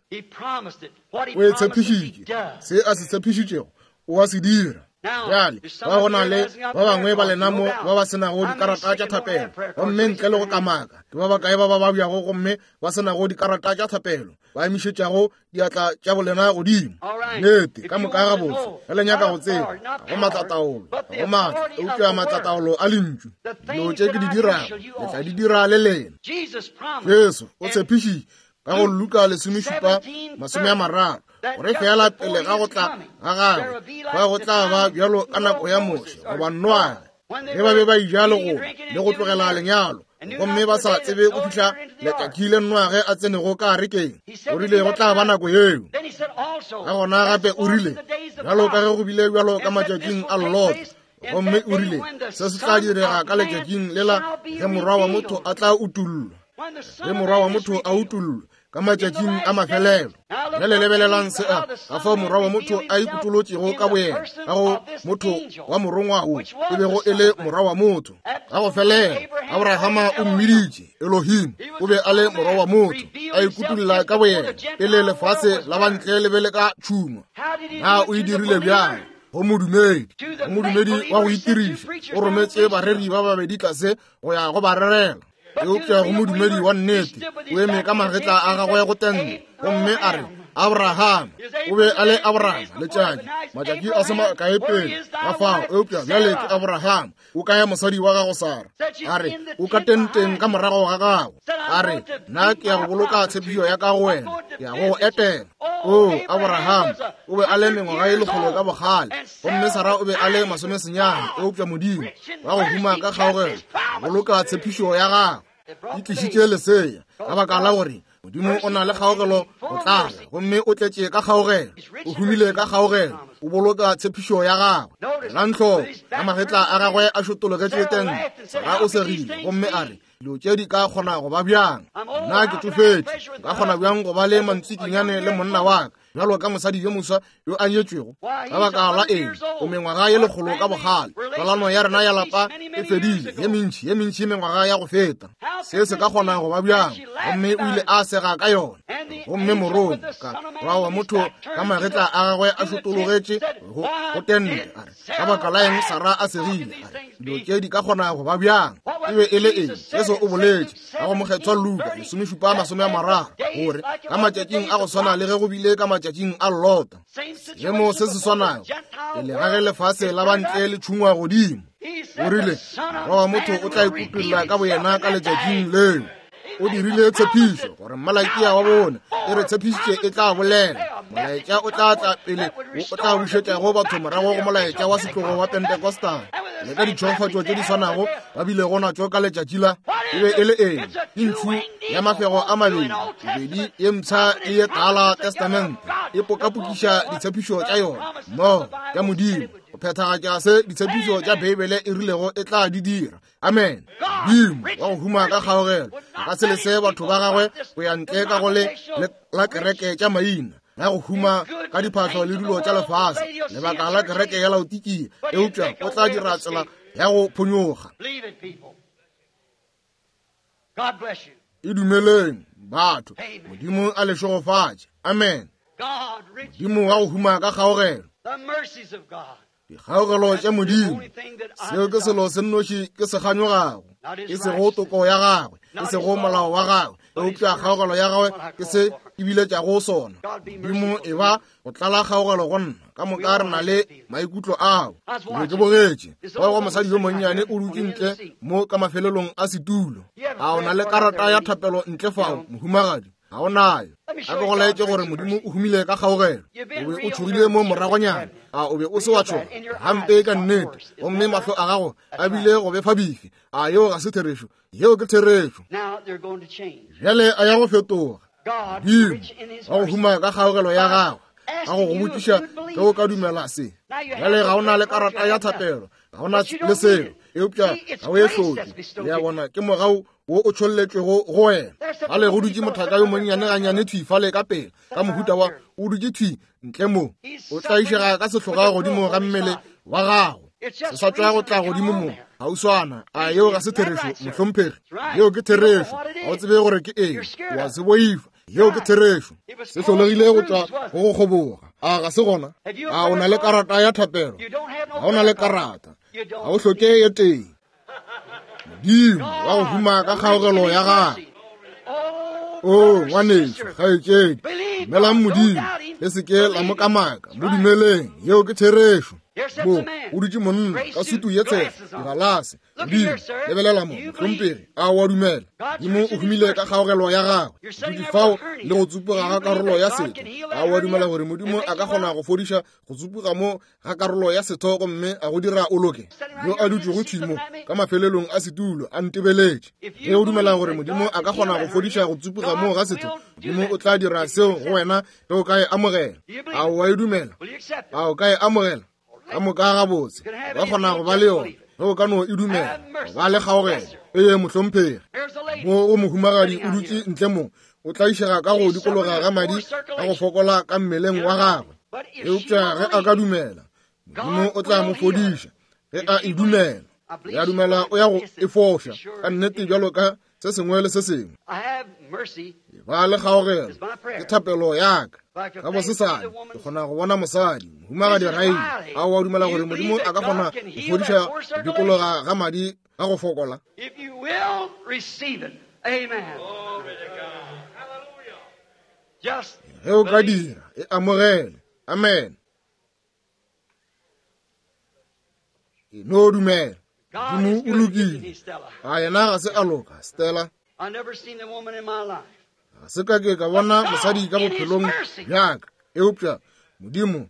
o e tshepišitše. Se a se tshepišitšego, o a se dira. Bjale, ba go na le ba bangwe ba lena mo ba ba se nago dikarata tša thapelo, gomme ntle le go kamaka, ke ba bakae ba ba babjago gomme ba se nago dikarata tša thapelo, ba emišetšago diatla tša bolena godimo? Nnete, ka moka gabotse, ge le nyaka go tseba, ga go maatlataolo, ga go maatla, eupša maatlataolo a Lentšu. Dilo tše ke di dirago, le tla di dira le lena. Jesu o tshepišitše ka go Luka 17:30 gore feela pele ga go tla ga gagwe ba go tla ba bjalo ka nako ya Moshe goba Noage, ge ba be ba ija le go le go tlogela lenyalo, gomme ba sa tsebe go fihla letšatši le Noage a tsenego ka arekeng. O rile go tla ba nako yeo. Ka gona gape o rile, bjalo ka ge go bile bjalo ka matšatšing a Lot, gomme o rile se se tla direga ka letšatšing lela ge morwa wa motho a tla utullwa, ge morwa wa motho a utullwa ka matšatšing a mafelelo. Bjale lebelelang se a ka fao morwa wa motho a ikutolotšego ka boyena ka go motho wa morongwa wo e bego e le morwa wa motho. Ka go felela Abrahama o mmiditše Elohim, o be a le morwa wa motho a ikutulla ka boyena pele lefase la bantle le be le ka tšhungwa. Na o e dirile bjang? Go modumedi, go modumedi wa go itiriša, o rometše bareri ba babedi tlase go ya go ba rerela. Eupša go modumedi wa nnete, o eme ka magetla a gagwe go tente, gomme a re, Abraham, o be a le Abraham letšatši, matšatši a se makae pele ga fao, eupša bjale ke Abraham. O kae mosadi wa gago Sara? A re, o ka tenteng ka morago ga gago. A re, nna ke ya go boloka tshepišo ya ka go wena, ke ya go go etela. O, Abraham o be a le mengwaga e lekgolo ka bogale, gomme Sara o be a le masomesenyane, eupša Modimo wa go huma ka kgaogelo boloka tshepišo ya gagwe. E tlišitše lesea ka baka la gore Modimo o na le kgaogelo go tlala, gomme o tletše ka kgaogelo, o humile ka kgaogelo, o boloka tshepišo ya gagwe. Elang hloko, ka magetla a gagwe a šotologetše tente, Sara o segile gomme a re, dilo tše di ka kgona go ba bjang? Nna ke tšofetše, nka kgona bjang go ba le mantsikinyane le monna wa ka bjalo ka mosadi yo moswa yo a nyetšwego? Ka baka la eng, o mengwaga ye lekgolo ka bogale, tswalano ya rena ya lapa e fedile ye mentši, ye mentši mengwaga ya go feta. Se se ka kgona go ba bjang? Gomme o ile a sega ka yona. Gomme morongwa ka morwa wa motho ka magetla a gagwe a šotologetše go tente, a re, ka baka la eng Sara a segile? A re, dilo tše di ka kgona go ba bjang? E be e le eng? Jesu o boletše ka go mokgethwa Luka 17:30 gore ka matšatšing a go swana le ge go bile ka matšatšing a Lota, seemo se se swanago pele ga ge lefase la bantle le tšhungwa godimo. O rile morwa wa motho o tla ikutolla ka boyena ka letšatšing leo. O dirile tshepišo gore Malakia wa bone e re tshepišitše e tla bolela molaetša o tla tla pele wo o tla bušetšago batho morago go molaetša wa setlogo wa Pentecostal le ka ditšhogofatšo tše di swanago ba bilego natšo ka letšatši la e be e le eng? Ke ntšhu ya mafego a mabedi, bobedi ye mpsha le ye tala testamente e pokapokiša ditshepišo tša yona mmogo tša Modimo go phethagatša se ditshepišo tša Beibele e rilego e tla di dira. Amen. Modimo wa go huma ka kgaogelo a ka se lese batho ba gagwe go ya ntle ka go le la kereke tša maina ya go huma ka diphahlo le dilo tša lefase, lebaka la kereke ya Laodikia, eupša o tla dira tsela ya go phonyokga. E dumeleng, batho. Modimo a le šegofatše. Amen. Modimo wa go huma ka kgaogelo, dikgaogelo tša Modimo, seo ke selo se nnoši ke se kganyogago, e sego toko ya gagwe, e sego molao wa gagwe, eupša kgaogelo ya gagwe ke se ke biletšago sona. Modimo e ba go tlala kgaogelo go nna. Ka moka re na le maikutlo ao. Ke be ke bogetše bao wa mosadi yo monnyane o dutše ntle mo ka mafelelong a setulo. A o na le karata ya thapelo ntle fao, mohumagadi? Ga o nayo. A ke go laetše gore Modimo o humile ka kgaogelo. O be o tšhogile mo moragonyana. A o be o se wa tšhoga gampe ka nnete, gomme mahlo a gago a bile go befa bifi. A yeo ga se therešo? Yeo ke therešo. Bjale a ya go fetoga. Modimo wa go huma ka kgaogelo ya gagwe ka go go botšiša ge o ka dumela se. Bjale ga o na le karata ya thapelo, ga o na le selo, eupša ga o e hloke. Le a bona, ke mogau wo o tšholletšwego go wena. Fale go dutše mothaka yo monnyane gannyane thwi fale ka pele, ka mohuta wa o dutše thwi ntle mo, o tlaišega ka sehloga godimo ga mmele wa gago, se sa tšwa go tla godimo mo gauswana. A yeo ga se therešo, mohlomphegi? Yeo ke therešo. Ga o tsebe gore ke eng, wa se boifa. Yeo ke therešo. Se hlolegile go tšwa go go kgoboga. A ga se gona? A o na le karata ya thapelo? Ga o na le karata, ga o hloke ye tee. Modimo wa go huma ka kgaogelo ya gagwe. O ngwanešu, kgaetšedi, dumelang Modimo, le se ke la mo kamaka, mo dumeleng, yeo ke therešo. Mo o dutše monna ka sutu ye tshehla, digalase. Modimo, lebelela mo, mohlomphegi, a o a dumela? Modimo o humile ka kgaogelo ya gagwe. Dutše fao le go tsupuga ga karolo ya setho. A o a dumela gore Modimo a ka kgona go fodiša go tsupuga mo ga karolo ya setho gomme a go dira o loke? Yo a dutšego thwi mo ka mafelelong a setulo a ntebeletše. Ge o dumela gore Modimo a ka kgona go fodiša go tsupuga mo ga setho, Modimo o tla dira seo go wena ge o ka e amogela. A o a e dumela? A o ka e amogela? Ka moka gabotse, ba kgona go ba le yona ge o ka no e dumela, ba le kgaogelo. Ee, mohlomphegi. Mo go mohumagadi o dutše ntle mo, o tlaišega ka go dikologa ga madi ka go fokola ka mmeleng wa gagwe. Eupša ge a ka dumela, Modimo o tla mo fodiša. Ge a e dumela, ya dumela o ya go e foša ka nnete bjalo ka se sengwe le se sengwe. Ba le kgaogelo, ke thapelo ya ka. Ka bosesane ke kgona go bona mosadi, mohumagadi Riley. A o a dumela gore Modimo a ka kgona go fodiša go dikologa ga madi ga go fokola? Ge o ka dira, e amogele. Amen. E no dumela. Modimo o lokile. A yena ga se a loka, Stella? Ga se ka ke ka bona mosadi ka bophelong bjaka, eupša Modimo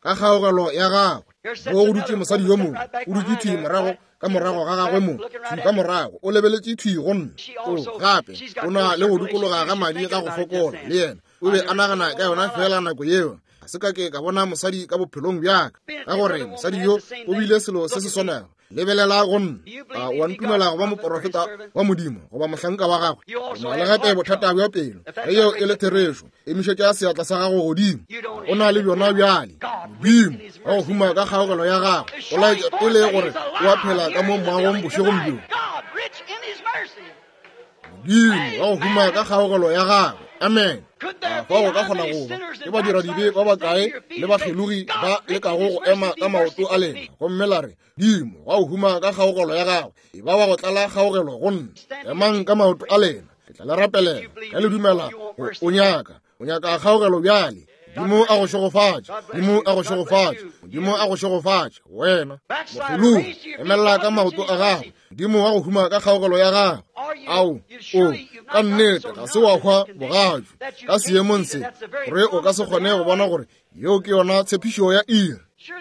ka kgaogelo ya gagwe mo go dutše mosadi yo mongwe, o dutše thwi morago ka morago ga gagwe mo, thwi ka morago, o lebeletše thwi go nna. O gape o na le go dikologa ga madi ga go fokola le yena. O be a nagana ka yona fela nako yeo. Ga se ka ke ka bona mosadi ka bophelong bjaka, ka gore mosadi yo o bile selo se se swanago. Lebelela go nna. A o a ntumela go ba moporofeta wa Modimo goba mohlanka wa gagwe? O na le gape bothata bja pelo. Ge yeo e le therešo, emišetša seatla sa gago godimo. O na le bjona bjale. Modimo wa go huma ka kgaogelo ya gagwe o laetša pele gore o a phela ka mo moagong bošegong bjo. Modimo wa go huma ka kgaogelo ya gagwe. Amen. A fao go ka kgona go ba ke badiradibe ba bakae le bakgelogi ba lekago go ema ka maoto a lena gomme la re, Modimo wa go huma ka kgaogelo ya gagwe, e ba wa go tlala kgaogelo go nna. Emang ka maoto a lena, ke tla le rapelela. Ge le dumela go o nyaka, o nyaka kgaogelo bjale. Modimo a go šegofatše. Modimo a go šegofatše. Modimo a go šegofatše wena. Mokgelogi, emelela ka maoto a gago. Modimo wa go huma ka kgaogelo ya gago. Ao, o, ka nnete ga se wa hwa bogatšu ka seemong se, gore o ka se kgone go bona gore yeo ke yona tshepišo ya iri.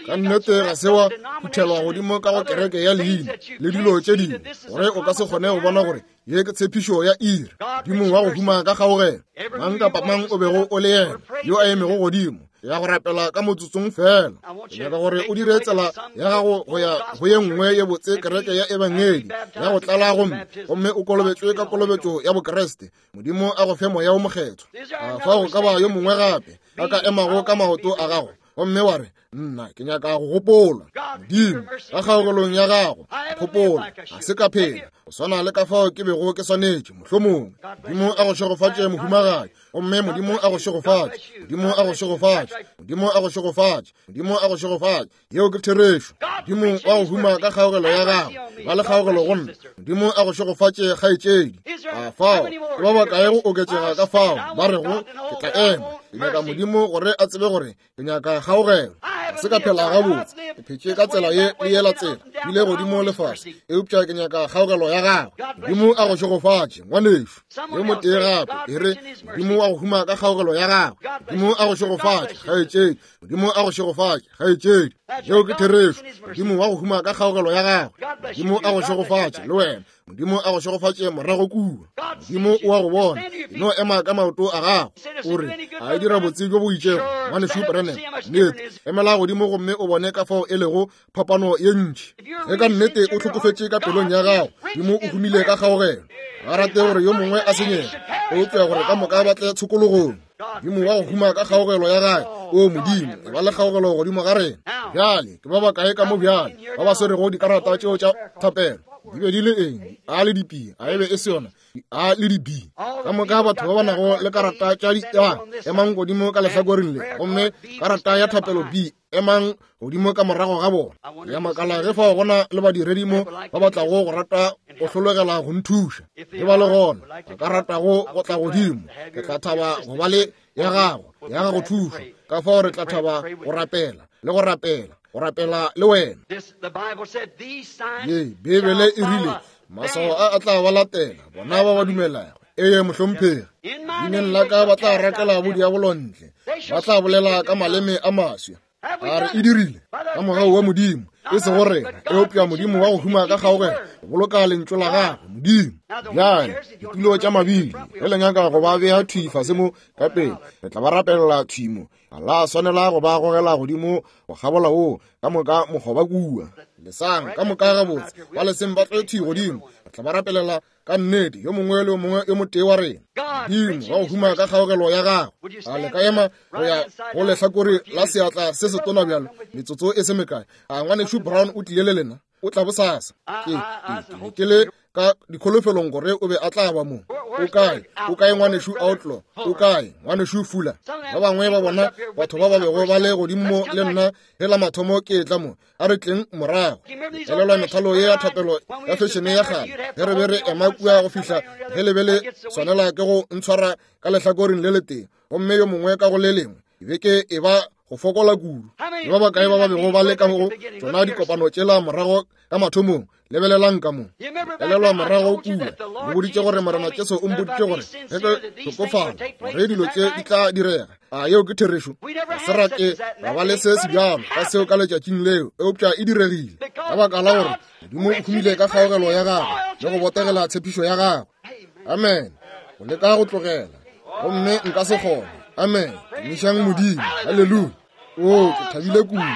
Ka nnete ga se wa phuthelwa godimo ka go kereke ya leina le dilo tše dingwe, gore o ka se kgone go bona gore ye ke tshepišo ya iri. Modimo wa go huma ka kgaogelo, mang kapa mang o bego o le yena yo a emego godimo ya go rapela ka motsotsong fela, ke nyaka gore o dire tsela ya gago go ya go ye nngwe ye botse kereke ya ebangedi ya go tlala gomme gomme o kolobetšwe ka kolobetšo ya Bokriste. Modimo a go fe Moya wo Mokgethwa. A fao go ka ba yo mongwe gape a ka emago ka maoto a gago gomme wa re, Nna ke nyaka go gopola Modimo ka kgaogelong ya gago, gopola ga se ka phela go swana le ka fao ke bego ke swanetše mohlomongwe. Modimo a go šegofatše, mohumagadi. Gomme Modimo a go šegofatše. Modimo a go šegofatše. Modimo a go šegofatše. Modimo a go šegofatše. Yeo ke therešo. Modimo wa go huma ka kgaogelo ya gago, ba le kgaogelo go nna. Modimo a go šegofatše, kgaetšedi. A fao ke ba bakae go oketšega ka fao ba rego, Ke tla ema, ke nyaka Modimo gore a tsebe gore ke nyaka kgaogelo. Ga se ka phela gabotse, ke phetše ka tsela ye le yela tsela, bile godimo le fase, eupša ke nyaka kgaogelo ya gagwe. Modimo a go šegofatše, ngwanešu. Yo motee gape, e re, Modimo wa go huma ka kgaogelo ya gagwe. Modimo a go šegofatše, kgaetšedi. Modimo a go šegofatše, kgaetšedi. Yeo ke therešo. Modimo wa go huma ka kgaogelo ya gagwe. Modimo a go šegofatše, le wena. Modimo a go šegofatše morago kua. Modimo o a go bona. E no ema ka maoto a gago. O re, a e dira botse bjo bo itšego, ngwanešu Branham. Nnete. Emela godimo gomme o bone ka fao e lego phapano ye ntši. Ge ka nnete o hlokofetše ka pelong ya gago, Modimo o humile ka kgaogelo. Ga rate gore yo mongwe a senyege, eupša gore ka moka ba tle tshokologong. Modimo wa go huma ka kgaogelo ya gagwe, o Modimo, e ba le kgaogelo godimo ga rena. Bjale, ke ba bakae ka mo bjale ba ba swerego dikarata tšeo tša thapelo? Di be di le eng? A le di-P, a e be e se yona? A le di-B. Ka moka batho ba ba nago le karata tša di A, emang godimo ka lehlakoreng le, gomme karata ya thapelo B, emang godimo ka morago ga bona. Ya makala ge fao gona le badiredi mo ba ba tlago go rata go hlologela go nthuša. Ge ba le gona, ba ka ratago go tla godimo, ke tla thaba go ba le ya gago ya gago thušo. Ka fao re tla thaba go rapela le go rapela, go rapela le wena. Ye, Beibele e rile, maswao a a tla ba latela bona ba ba dumelago. Ee, mohlomphegi. Leineng la ka ba tla rakela bodiabolo ntle, ba tla bolela ka maleme a maswa. A re e dirile ka mogau wa Modimo, e sego rena, eupša Modimo wa go huma ka kgaogelo, go boloka lentšu la gagwe, Modimo. Bjale, ditulo tša mabili, ge le nyaka go ba bea thwi fase mo ka pele, re tla ba rapelela thwi mo. Ga la swanela go ba gogela godimo go kgabola wo ka moka mokgoba kua. Lesang ka moka gabotse, ba leseng ba tle thwi godimo, re tla ba rapelela ka nnete, yo mongwe le yo mongwe yo motee wa rena. Modimo wa go huma ka kgaogelo ya gagwe, a le ka ema go ya go lehlakore la seatla se setona bjalo metsotso e se mekae? A ngwanešu Brown o tlile le lena? O tla bosasa. Ke, ke, ke le ka dikholofelong gore o be a tla ba mo. O kae? O kae ngwanešu Outlaw? O kae ngwanešu Fuller? Ba bangwe ba bona batho ba ba bego ba le godimo mo le nna ge la mathomo ke etla mo. A re tleng morago. Elelwa methalo ye ya thapelo ya fešene ya kgale ge re be re ema kua go fihla ge le be le swanela ke go ntshwara ka lehlakoreng le letee gomme yo mongwe ka go le lengwe. Ke be ke e ba go fokola kudu. Le ba bakae ba ba bego ba le ka go tšona dikopano tšela morago ka mathomong? Lebelelang ka mo. Elelwa morago kua, le boditše gore Morena Jesu o mpoditše gore ge ke hlokofala gore dilo tše di tla direga. A yeo ke therešo? Ga se ra ke ra ba le se sebjalo ka seo ka letšatšing leo, eupša e diregile ka baka la gore Modimo o humile ka kgaogelo ya gagwe le go botegela tshepišo ya gagwe. Amen. Go leka go tlogela, gomme nka se kgone. Amen. Tumišang Modimo. Haleluya. O, ke thabile kudu.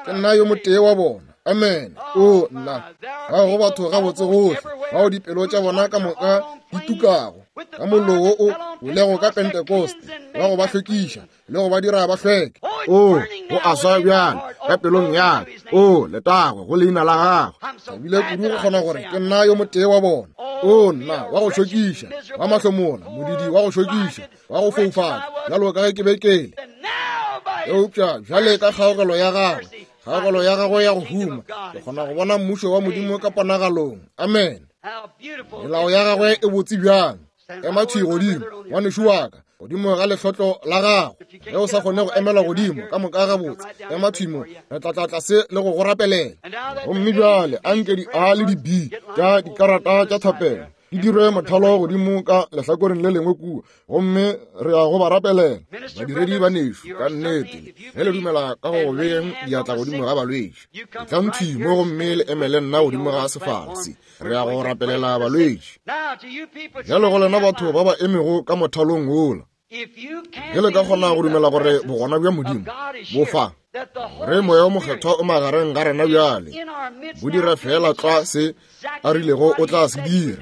Ke nna yo motee wa bona. Amen. O, nna. Ga go batho gabotse gohle bao dipelo tša bona ka moka di tukago ka mollo wo o bolego ka Pentekoste wa go ba hlwekiša le go ba dira ba hlweke. O, go a swa bjale ka pelong ya ka. O, letago go leina la gagwe. Thabile kudu go kgona gore ke nna yo motee wa bona. O, nna wa go šokiša, wa mahlomola, modidi wa go šokiša, wa go foufala, bjalo ka ge ke be ke le. Eupša bjale ka kgaogelo ya gagwe, kgaogelo ya gagwe ya go huma, ke kgona go bona mmušo wa Modimo ka ponagalong. Amen. Melao ya gagwe e botse bjang. Ema thwi godimo, ngwanešu wa ka, godimo ga lehlotlo la gago. Ge o sa kgone go emela godimo ka moka gabotse, ema thwi mo, re tla tla tlase le go go rapelela. Gomme bjale anke di A le di B tša dikarata tša thapelo di dirwe mothalo godimo ka lehlakoreng le lengwe kua, gomme re ya go ba rapelela. Badiredi ba nešu, ka nnete, ge le dumela ka go beeng diatla godimo ga balwetši, etlang thwi mo gomme le emele nna godimo ga sefala se. Re ya go rapelela balwetši. Bjalo go lena batho ba ba emego ka mothalong wola, ge le ka kgona go dumela gore bogona bja Modimo bo fa, gore Moya o Mokgethwa o magareng ga rena bjale, bo dira feela tlwa se a rilego o tla se dira.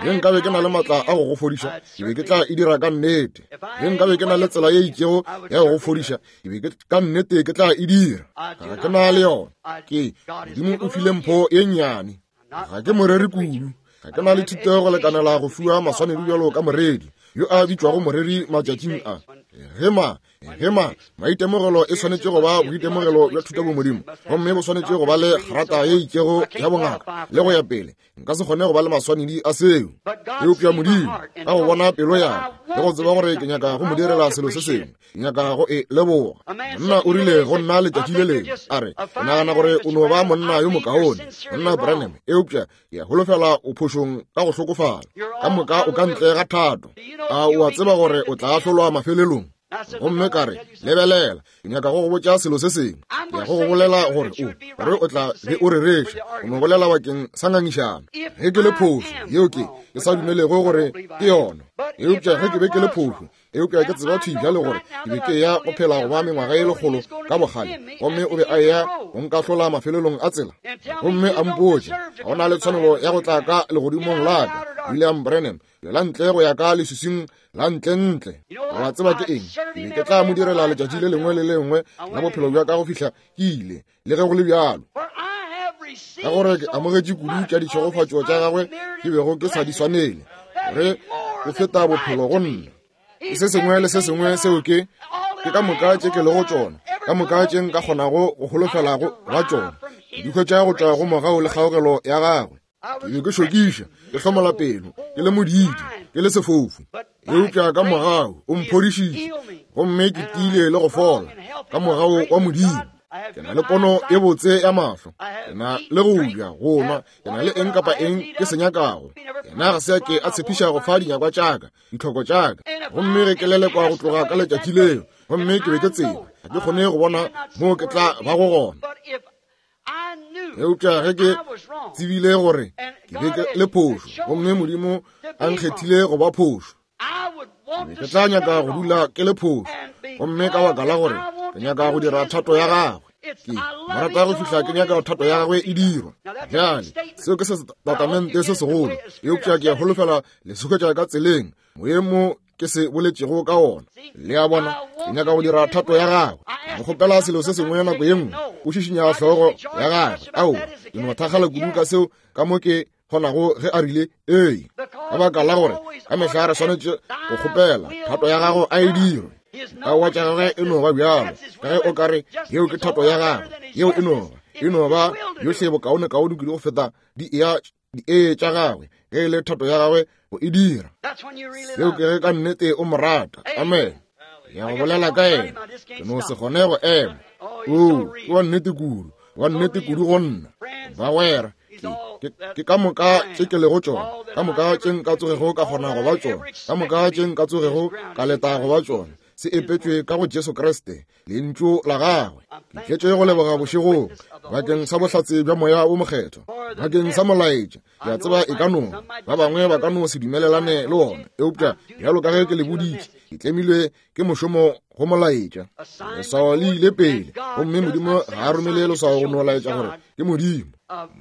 Ge nkabe ke na le matla a go go fodiša, ke be ke tla e dira ka nnete. Ge nkabe ke na le tsela ye itšego ya go go fodiša, ke be ke ka nnete ke tla e dira. Ga ke na le yona. Ke Modimo o file mpho ye nnyane. Ga ke moreri kudu. Ga ke na le thuto go lekanela go fiwa maswanedi bjalo ka moreri yo a bitšwago moreri matšatšing a. Ge ma, ge ma, maitemogelo e swanetše go ba boitemogelo bja thutabomodimo, gomme bo swanetše go ba le grata ye itšego ya bongaka le go ya pele. Nka se kgone go ba le maswanedi a seo. Eupša Modimo, ka go bona pelo ya ka le go tseba gore ke nyaka go mo direla selo se sengwe, ke nyaka go e leboga. Monna o rile go nna letšatši le lengwe, a re, ke nagana gore o no ba monna yo mokaone, monna Branham, eupša ke a holofela o phošong ka go hlokofala. Ka moka o ka ntle ga thato. A o a tseba gore o tla ahlolwa mafelelong? Gomme ka re, lebelela, ke nyaka go go botša selo se sengwe. Ke ya go go bolela gore o, gore o tla be o rereša, o no bolela bakeng sa ngangišano. Ge ke le phošo, yeo ke, ke sa dumelego gore ke yona. Eupša ge ke be ke le phošo, eupša ke tseba thwi bjale gore ke be ke eya go phela go ba mengwaga ye lekgolo ka bogale, gomme o be a eya go nkahlola mafelelong a tsela, gomme a mpotše ga o na le tshwanelo ya go tla ka legodimong la ka. William Branham, tšwela ntle go ya ka leswiswing la ntlentle. Wa tseba ke eng? Ke be ke tla mo direla letšatši le lengwe le lengwe la bophelo bja ka go fihla ke ile, le ge go le bjalo. Ka gore ke amogetše kudu tša ditšhegofatšo tša gagwe ke bego ke sa di swanele, gore o feta bophelo go nna. Ke se sengwe le se sengwe seo ke ke ka moka tše ke lego tšona, ka moka tše nka kgonago go holofela go ba tšona, ke di hwetša go tšwa go mogau le kgaogelo ya gagwe. Ke be ke šokiša, ke hlomola pelo, ke le modiidi, ke le sefofu, eupša ka mogau o mphodišitše, gomme ke tiile le go fola ka mogau wa Modimo. Ke na le pono e botse ya mahlo, ke na le go ja, go nwa, ke na le eng kapa eng ke se nyakago. Yena ga se a ke a tshepiša go fa dinyakwa tša ka, ditlhoko tša ka, gomme ge ke lelekwa go tloga ka letšatši leo, gomme ke be ke tseba ga ke kgone go bona moo ke tla bago gona. Eupša ge ke tsebile gore ke be ke le phošo, gomme Modimo a nkgethile go ba phošo, ke be ke tla nyaka go dula ke le phošo, gomme ka baka la gore ke nyaka go dira thato ya gagwe. Ke mo rata go fihla ke nyaka thato ya gagwe e dirwa. Bjale, seo ke setatamente se segolo, eupša ke a holofela le se hwetša ka tseleng moemo ke se boletšego ka ona. Le a bona, ke nyaka go dira thato ya gagwe. Ke kgopela selo se sengwe nako ye nngwe, o šišinya hlogo ya gagwe. Ao, ke no thakgala kudu ka seo ka mo ke kgonago ge a rile ee, ka baka la gore ka mehla re swanetše go kgopela thato ya gago a e dirwe. Aowa, tša gagwe e no ba bjalo ka ge o ka re yeo ke thato ya gagwe, yeo e no ba e no ba yohle bokaonekaone kudu go feta di eya di-ee tša gagwe, ge e le thato ya gagwe go e dira. Seo ke ge ka nnete o mo rata. Amen. Ya go bolela ka yena, ke no se kgone go ema. Oo, ke wa nnete kudu, wa nnete kudu go nna. Bagwera, ke ka moka tše ke lego tšona, ka moka tše nka tsogego ka kgona go ba tšona, ka moka tše nka tsogego ka leta go ba tšona, se epetšwe ka go Jesu Kriste, Lentšu la gagwe. Ke tletše go leboga bošegong bakeng sa bohlatse bja Moya wo Mokgethwa, bakeng sa molaetša. Ke a tseba e ka no ba bangwe ba ka no se dumelelane le wona, eupša bjalo ka ge ke le boditše, ke tlemilwe ke mošomo go molaetša. Leswao le ile pele, gomme Modimo ga a romele leswao go no laetša gore ke Modimo.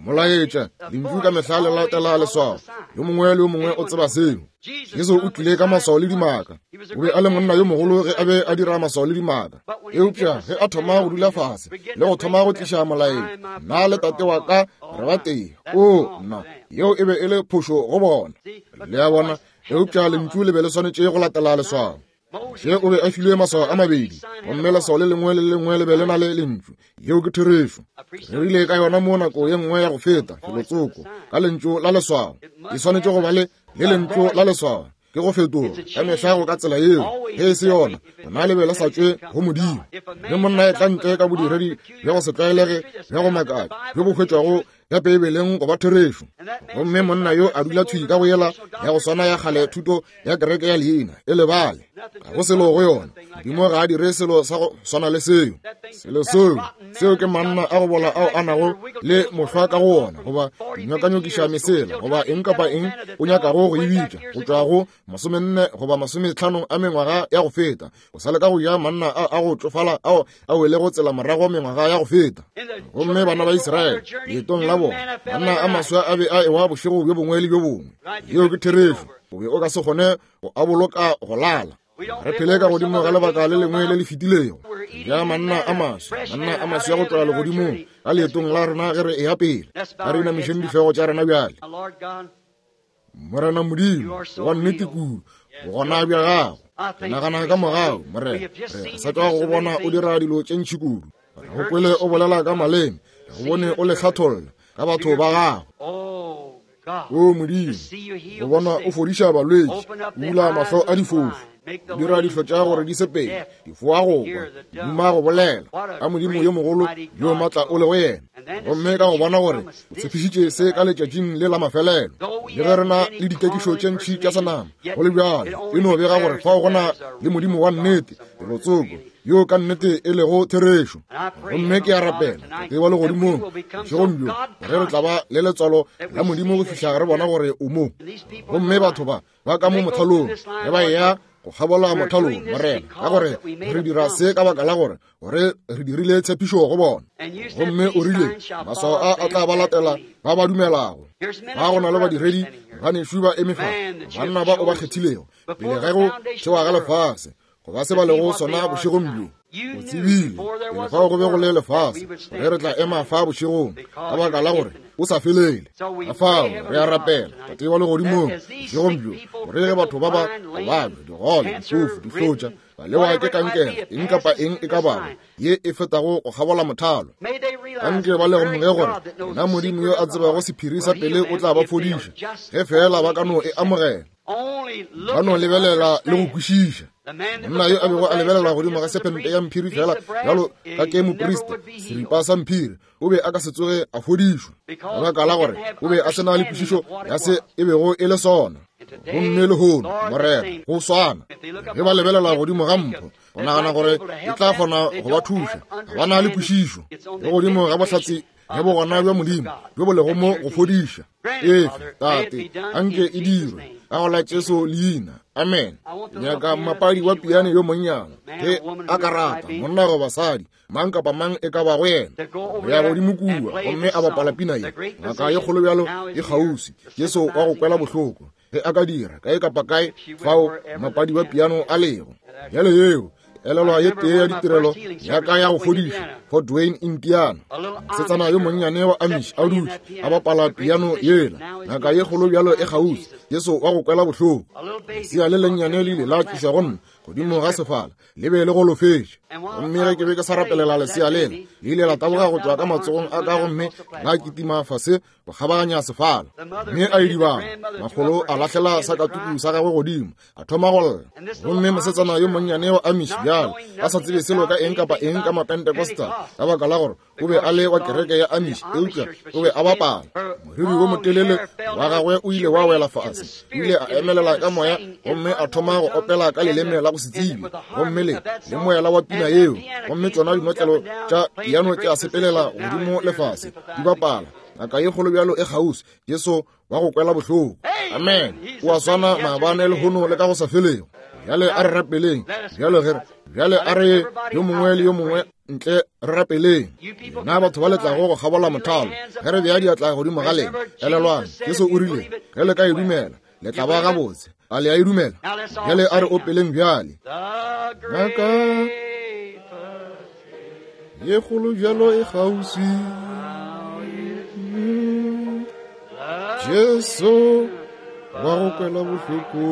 Molaetša, lentšu ka mehla le latela leswao. Yo mongwe le yo mongwe o tseba seo. Jesu o tlile ka maswao le dimaka. O be a le monna yo mogolo ge a be a dira maswao le dimaka. Eupša ge a thoma go dula fase le go thoma go tliša molaetša, nna le tate wa ka re ba tee. O, nna, yeo e be e le phošo go bona. Le a bona? Eupša lentšu le be le swanetše go latela leswao. Moshe o be a filwe maswao a mabedi, gomme leswao le lengwe le lengwe le be le na le lentšu. Yeo ke therešo. Re rile ka yona mo nako ye nngwe ya go feta, felotsoko, ka lentšu la leswao. E swanetše go ba le le lentšu la leswao. Ke go fetoga ka mehla go ka tsela yeo. Ge e se yona, gona le be le sa tšwe go Modimo. Ge monna e tla ntle ka bodiredi bja go se tlwaelege bja go makatša bjo bo hwetšwago ya Beibeleng go ba therešo, gomme monna yo a dula thwi ka go yela ya go swana ya kgale thuto ya kereke ya leina e lebale, ga go selo go yona. Modimo ga a dire selo sa go swana le seo. Selo seo, seo ke manna a go bola ao a nago le mohlwa ka go wona, goba dinyokanyokiša mesela, goba eng kapa eng o nyakago go e bitša, go tšwa go 40 goba 50 a mengwaga ya go feta, o sa le ka go ja manna a a go tšofala ao a welego tsela morago mengwaga ya go feta. Gomme bana ba Israele leetong la bona, manna a maswa a be a ewa bošego bjo bongwe le bjo bongwe. Yeo ke therešo. O be o ka se kgone go a boloka go lala. Re phele ka godimo ga lebaka le lengwe le le fetilego. Re ja manna a maswa, manna a maswa go tšwa legodimong ka leetong la rena ge re eya pele. A re inamišeng dihlogo tša rena bjale. Morena Modimo, wa nnete kudu, bogona bja gago. Ke nagana ka mogau, Morena, re sa tšwa go bona o dira dilo tše ntši kudu. Re go kwele o bolela ka maleme, re go bone o le hlatholla ka batho ba gago. O Modimo, go bona o fodiša balwetši, o bula mahlo a difofu, o dira dihlo tša gore di sepele, difoa go kwa, duma go bolela, ka Modimo yo mogolo yo matla o lego yena. Gomme ka go bona gore o tshepišitše se ka letšatšing le la mafelelo, le ge re na le dikekišo tše ntši tša senama, go le bjalo e no bega gore fao go na le Modimo wa nnete felotsoko, yo ka nnete e lego therešo. Gomme ke a rapela, Tate wa Legodimong, bošegong bjo, gore re tla ba le letswalo la Modimo go fihla re bona gore o mo. Gomme batho ba ba ka mo mothalong, ge ba eya go kgabola mothalong, Morena, ka gore re dira se ka baka la gore gore re dirile tshepišo go bona. Gomme o rile, maswao a a tla ba latela ba ba dumelago. Ba go na le badiredi banešu ba eme fa, banna ba o ba kgethilego pele ge go thewa ga lefase, go ba se ba lego sona bošegong bjo. O tsebile pele fao go be go le lefase gore re tla ema fa bošegong, ka baka la gore o sa felele. Ka fao re a rapela, Tate wa Legodimong, bošegong bjo, gore ge batho ba ba babja, digole, difofu, dihlotša, ba lewa ke kankere, eng kapa eng e ka bago ye e fetago go kgabola mothalo, anke ba lemoge gore yena Modimo yo a tsebago sephiri sa pele o tla ba fodiša, ge feela ba ka no e amogela. Ba no lebelela le go kwešiša. Monna yo a bego a lebelela godimo ga sephente ya mphiri fela bjalo ka ke moprista, seripa sa mphiri, o be a ka se tsoge a fodišwa, ka baka la gore o be a se na le kwešišo ya se e bego e le sona. Gomme lehono, Morena, go swana, ge ba lebelela godimo ga mpho, go nagana gore e tla kgona go ba thuša, ga ba na le kwešišo le godimo ga bohlatse bja bogona bja Modimo bjo bo lego mo go fodiša. Efe, Tate, anke e dirwe ka go la Jesu leina. Amen. Nyaka mmapadi wa piano yo monnyane, ge a ka rata, monna goba basadi, mang kapa mang e ka bago yena, go ya godimo kua gomme a bapala pina ye, Ngaka ye kgolo bjalo e kgauswi, Jesu wa go kwela bohloko, ge a ka dira kae kapa kae fao mmapadi wa piano a lego. Bjale yeo elelwa ye tee ya ditirelo ya ka ya go fodiša Fort Wayne, Indiana. Mosetsana yo monnyane wa Amish a dutše a bapala piano yela, ngaka ye kgolo bjalo e kgauswi, Jesu wa go kwela bohloko. Lesea le lennyane le ile la tlišwa go nna godimo ga sefala, le be le golofetše. Gomme ge ke be ke sa rapelela lesea lela, le ile la taboga go tšwa ka matsogong a ka gomme la kitima fase go kgabaganya sefala, mme a idibala. Makgolo a lahlela sakatuku sa gagwe godimo, a thoma go lla. Gomme mosetsana yo monnyane wa Amish bjalo, a sa tsebe selo ka eng kapa eng ka Mapentecostal, ka baka la gore o be a le wa kereke ya Amish, eupša o be a bapala. Moriri wo motelele wa gagwe o ile wa wela fase. O ile a emelela ka moya gomme a thoma go opela ka leleme la go se tsebe, gomme le le moela wa pina yeo, gomme tšona dinotlelo tša piano tša sepelela godimo le fase di bapala. Ngaka ye kgolo bjalo e kgauswi, Jesu wa go kwela bohloko. Amen. O a swana maabane, lehono le ka go sa felego. Bjale a re rapeleng. Bjale ge bjale a re yo mongwe le yo mongwe ntle re rapeleng. Na batho ba le tlago go kgabola mothalo, ge re bea diatla godimo ga lena, elelwang, Jesu o rile, ge le ka e dumela, le tla ba gabotse. A le a e dumela? Bjale a re opeleng bjale. Ngaka ye kgolo bjalo e kgauswi, Jesu wa go kwela bohloko.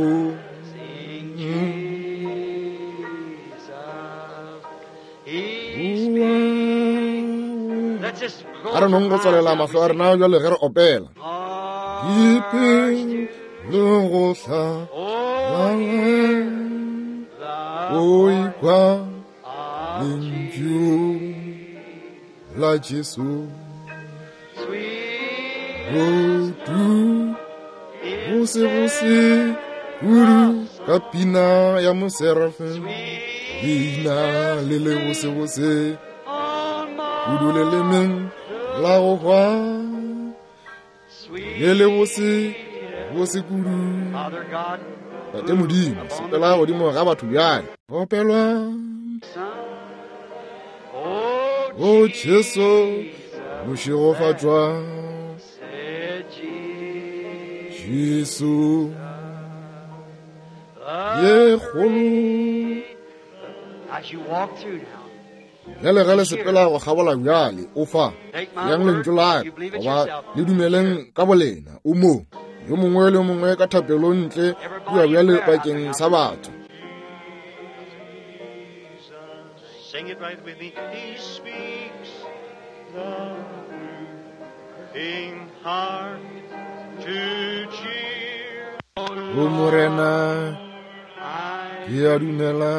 A re nong go tswalela mahlo a rena bjale ge re opela. Dipelo go hla o ikwa lentšu la Jesu. Botu bose bose kudu ka pina ya moserafe, leina le le bose bose kudu le lemeng la go hwa, le le bose bose kudu. Tate Modimo, sepela godimo ga batho bjale. Opelwa O Jesu, mošegofatšwa Jesu ye kgolo. Bjale ge le sepela go kgabola bjale, o fa yang lentšu la ka, goba le dumeleng ka bolena, o mo. Yo mongwe le yo mongwe ka thapelo ntle kua bjale bakeng sa batho. Sing it right with me. He speaks the weeping heart to cheer. O Morena, ke a dumela.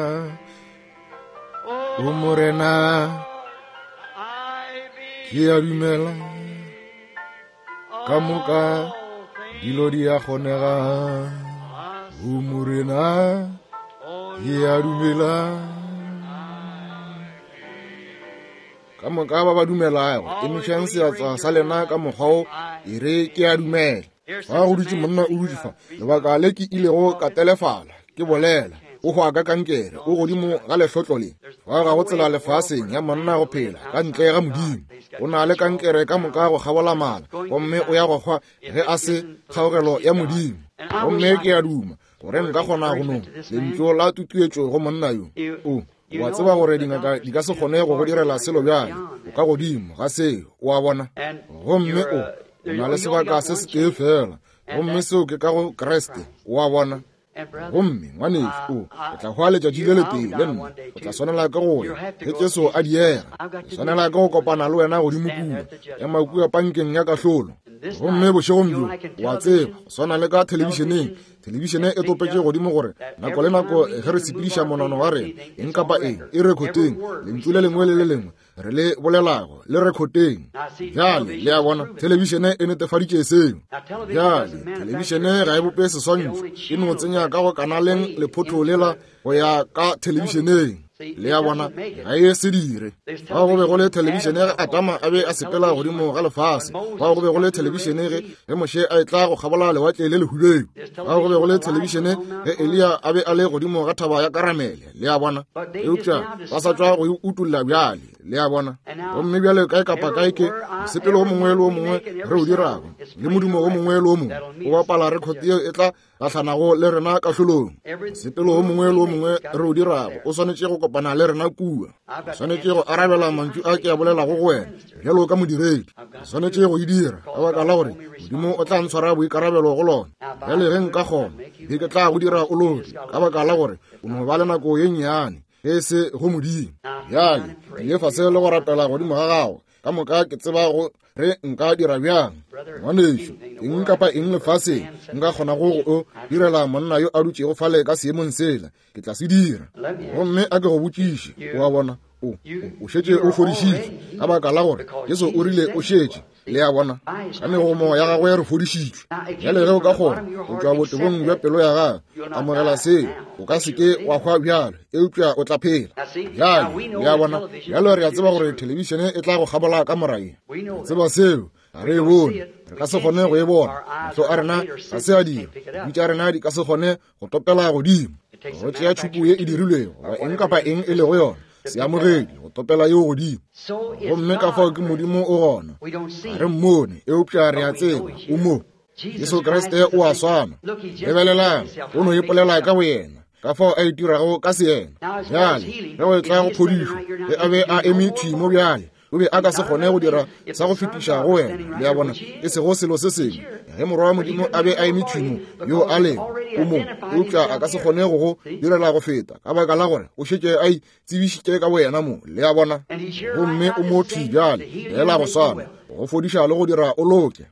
O Morena, ke a dumela. Ka moka dilo di a kgonega. O Morena, ke a dumela. Ka moka ba ba dumelago, emišang seatla sa lena ka mokgwa wo, e re ke a dumela. Fa go dutše monna o dutše fa, lebaka le ke ilego ka telefala ke bolela, o hwa ka kankere, o godimo ga lehlotlo le. Fa ga go tsela lefaseng ya monna go phela ka ntle ga Modimo. O na le kankere ka moka go kgabola mala, gomme o ya go hwa ge a se kgaogelo ya Modimo. Gomme ke a duma gore nka kgona go no lentšu la tutuetšo go monna yo. O O a tseba gore dingaka di ka se kgone go go direla selo bjale. O ka godimo ga seo, o a bona. Gomme o, o na le sebaka se setee feela, gomme seo ke ka go Kriste, o a bona. Gomme, ngwanešu, o, o tla hwa letšatši le letee le nna. O tla swanela ke go ya, ge Jesu a diega. Ke swanela ke go kopana le wena godimo kua, ema kua pankeng ya kahlolo. Gomme bošegong bjo, o a tseba, go swana le ka thelebišeneng, thelebišene e topetše godimo gore nako le nako ge re sepediša monano wa rena, eng kapa eng e rekhoteng, lentšu le lengwe le le lengwe re le bolelago le rekhoteng. Bjale, le a bona, thelebišene e netefaditše seo. Bjale, thelebišene ga e bope seswantšho, e no tsenya ka go kanaleng lephotho lela go ya ka thelebišeneng. Le a bona, ga e se dire. Fao go be go le thelebišene ge Adama a be a sepela godimo ga lefase. Fao go be go le thelebišene ge ge Moshe a etla go kgabola lewatle le lehubedu. Fao go be go le thelebišene ge Eliya a be a le godimo ga thaba ya Karamele. Le a bona, eupša ba sa tšwa go e utolla bjale. Le a bona, gomme bjale kae kapa kae ke mosepelo o mongwe le o mongwe re o dirago le modumo o mongwe le o mongwe o bapala rekhoti yeo e tla gahlanago le rena kahlolong. Mosepelo o mongwe le o mongwe re o dirago o swanetše go kopana le rena kua. O swanetše go arabela mantšu a ke a bolelago go wena bjalo ka modiredi. O swanetše go e dira ka baka la gore Modimo o tla ntshwara boikarabelo go lona. Bjale ge nka kgona, be ke tla go dira o loke ka baka la gore o no ba le nako ye nnyane ge e se go Modimo. Bjale ke ile fase le go rapela godimo ga gago ka moka ke tseba go re nka dira bjang. Ngwanešu, eng kapa eng lefaseng nka kgonago go o direla monna yo a dutšego fale ka seemong sela, ke tla se dira. Gomme a ke go botšiše, o a bona, o, o šetše o fodišitšwe, ka baka la gore Jesu o rile o šetše. Le a bona, ka megomo ya gagwe re fodišitšwe. Bjale ge o ka kgona go tšwa botebong bja pelo ya gago amogela seo, o ka se ke wa hwa bjalo, eupša o tla phela. Bjale, le a bona, bjale re a tseba gore thelebišene e tla go kgabola ka mora ye. Re tseba seo, ga re e bone, re ka se kgone go e bona, mahlo a rena ga se a dira, dibi tša rena di ka se kgone go topela godimo, go tšea tšhupu ye e dirilwego goba eng kapa eng e lego yona, seamogedi go topela yeo godimo. Gomme ka fao ke Modimo o gona, ga re mmone, eupša re a tseba o mo. Jesu Kriste o a swana. Lebelelang, o no ipolela ka boyena, ka fao a itirago ka seyena. Bjale, ge go etla go phodišo, ge a be a eme thwi mo bjale, o be a ka se kgone go dira sa go fetiša go wena. Le a bona, e sego selo se sengwe. Ge Morwa wa Modimo a be a eme thwi mo, yo a lego, o mo, eupša a ka se kgone go go direla go feta, ka baka la gore o šetše a itsebišitše ka boyena mo. Le a bona? Gomme o mo thwi bjale, feela go swana, go fodiša le go dira o loke.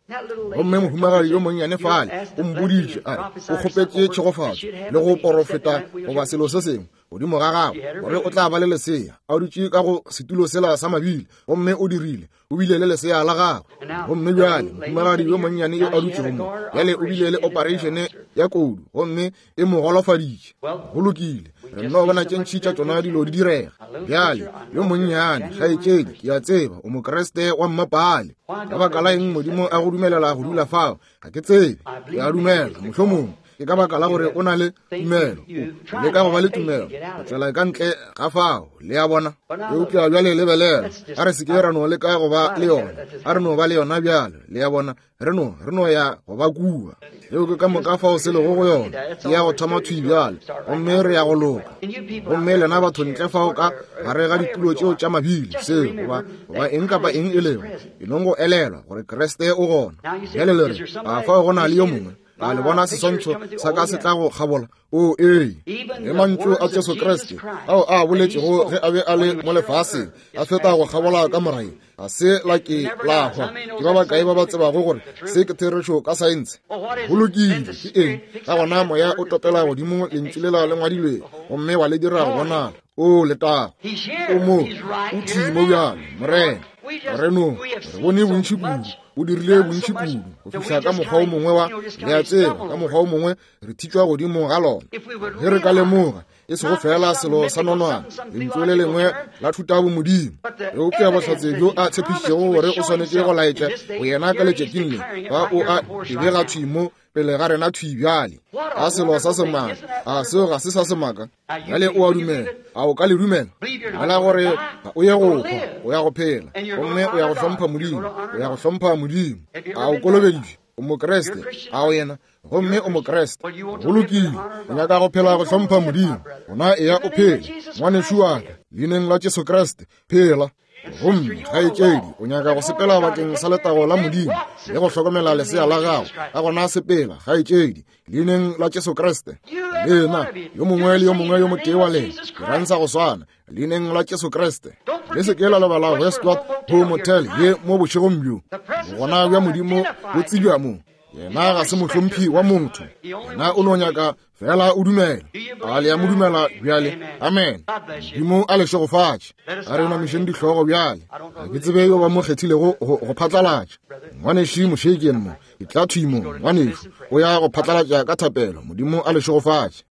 Gomme mohumagadi yo monnyane fale o mpoditše, a re, o kgopetše tšhegofatšo le go porofeta goba selo se sengwe godimo ga gagwe, gore o tla ba le lesea. A dutše ka go setulo sela sa mabile, gomme o dirile, o bile le lesea la gagwe. Gomme bjale mohumagadi yo monnyane yo a dutšego mo bjale o bile le operation ya kodu, gomme e mo golofaditše. Go lokile, re nno bona tše ntši tša tšona dilo di direga. Bjale yo monnyane kgaetšedi, ke a tseba o Mokriste wa mmapale. Ka baka la eng Modimo a go dumelela go dula fao? Ga ke tsebe. Ke a dumela mohlomongwe ke ka baka la gore o na le tumelo, o leka go ba le tumelo go tšwela ka ntle ga fao. Le a bona? Eupša bjale lebelela, a re se ke ra no leka go ba le yona, a re no ba le yona bjale. Le a bona? Re no, re no ya go ba kua. Yeo ke ka moka fao se lego go yona. Ke ya go thoma thwi bjale, gomme re ya go loka. Gomme lena batho ntle fao ka gare ga ditulo tšeo tša mabili, seo, goba, goba eng kapa eng e lego, e nong go elelwa gore Kriste o gona. Bjale le re, a fao go na le yo mongwe? A le bona seswantšho sa ka se tla go kgabola? O ee, le mantšu a Jesu Kriste ao a boletšego ge a be a le mo lefaseng, a feta go kgabola ka morae, ga se la ke la hwa. Ke ba bakae ba ba tsebago gore se ke therešo ka saense? Go lokile, ke eng? Ka gona moya o topela godimo lentšu lela le ngwadilwego, gomme wa le dira go bonala. O letago, o mo, o thwi mo bjale, Morena. Re no, re bone bontši kudu, o dirile bontši kudu, go fihla ka mokgwa o mongwe wa, le a tseba, ka mokgwa o mongwe re thitšwa godimo ga lona. Ge re ka lemoga, e sego feela selo sa nonwane, lentšu le lengwe la thutabomodimo, eupša bohlatse bjo a tshepišitšego gore o swanetše go laetša go yena ka letšatšing le, ba o a e bega thwi mo pele ga rena thwi bjale. A selo sa semaka, a seo ga se sa semaka? Bjale o a dumela, a o ka le dumela? Dumela gore ga o ye go hwa, o ya go phela, gomme o ya go hlompha Modimo, o ya go hlompha Modimo. A o kolobeditšwe? O Mokriste, a o yena? Gomme o Mokriste. Go lokile. O nyaka go phela go hlompha Modimo. Gona eya o phele, ngwanešu wa ka, Leineng la Jesu Kriste, phela. Gomme, kgaetšedi, o nyaka go sepela bakeng sa letago la Modimo le go hlokomela lesea la gago, ka gona sepela, kgaetšedi, Leineng la Jesu Kriste. Lena, yo mongwe le yo mongwe yo motee wa lena, dirang sa go swana, Leineng la Jesu Kriste. Le se ke la lebala Westward Ho Motel ye mo bošegong bjo. Bogona bja Modimo bo tsebja mo. Yena ga se mohlomphi wa motho. Yena o no nyaka fela o dumela. A le a mo dumela bjale? Amen. Modimo a le šegofatše. A re inamišeng dihlogo bjale. Ga ke tsebe yo ba mo kgethilego go, go phatlalatša. Ngwanešu Mošekeng mo, etla thwi mo, ngwanešu. O ya go phatlalatša ka thapelo. Modimo a le šegofatše.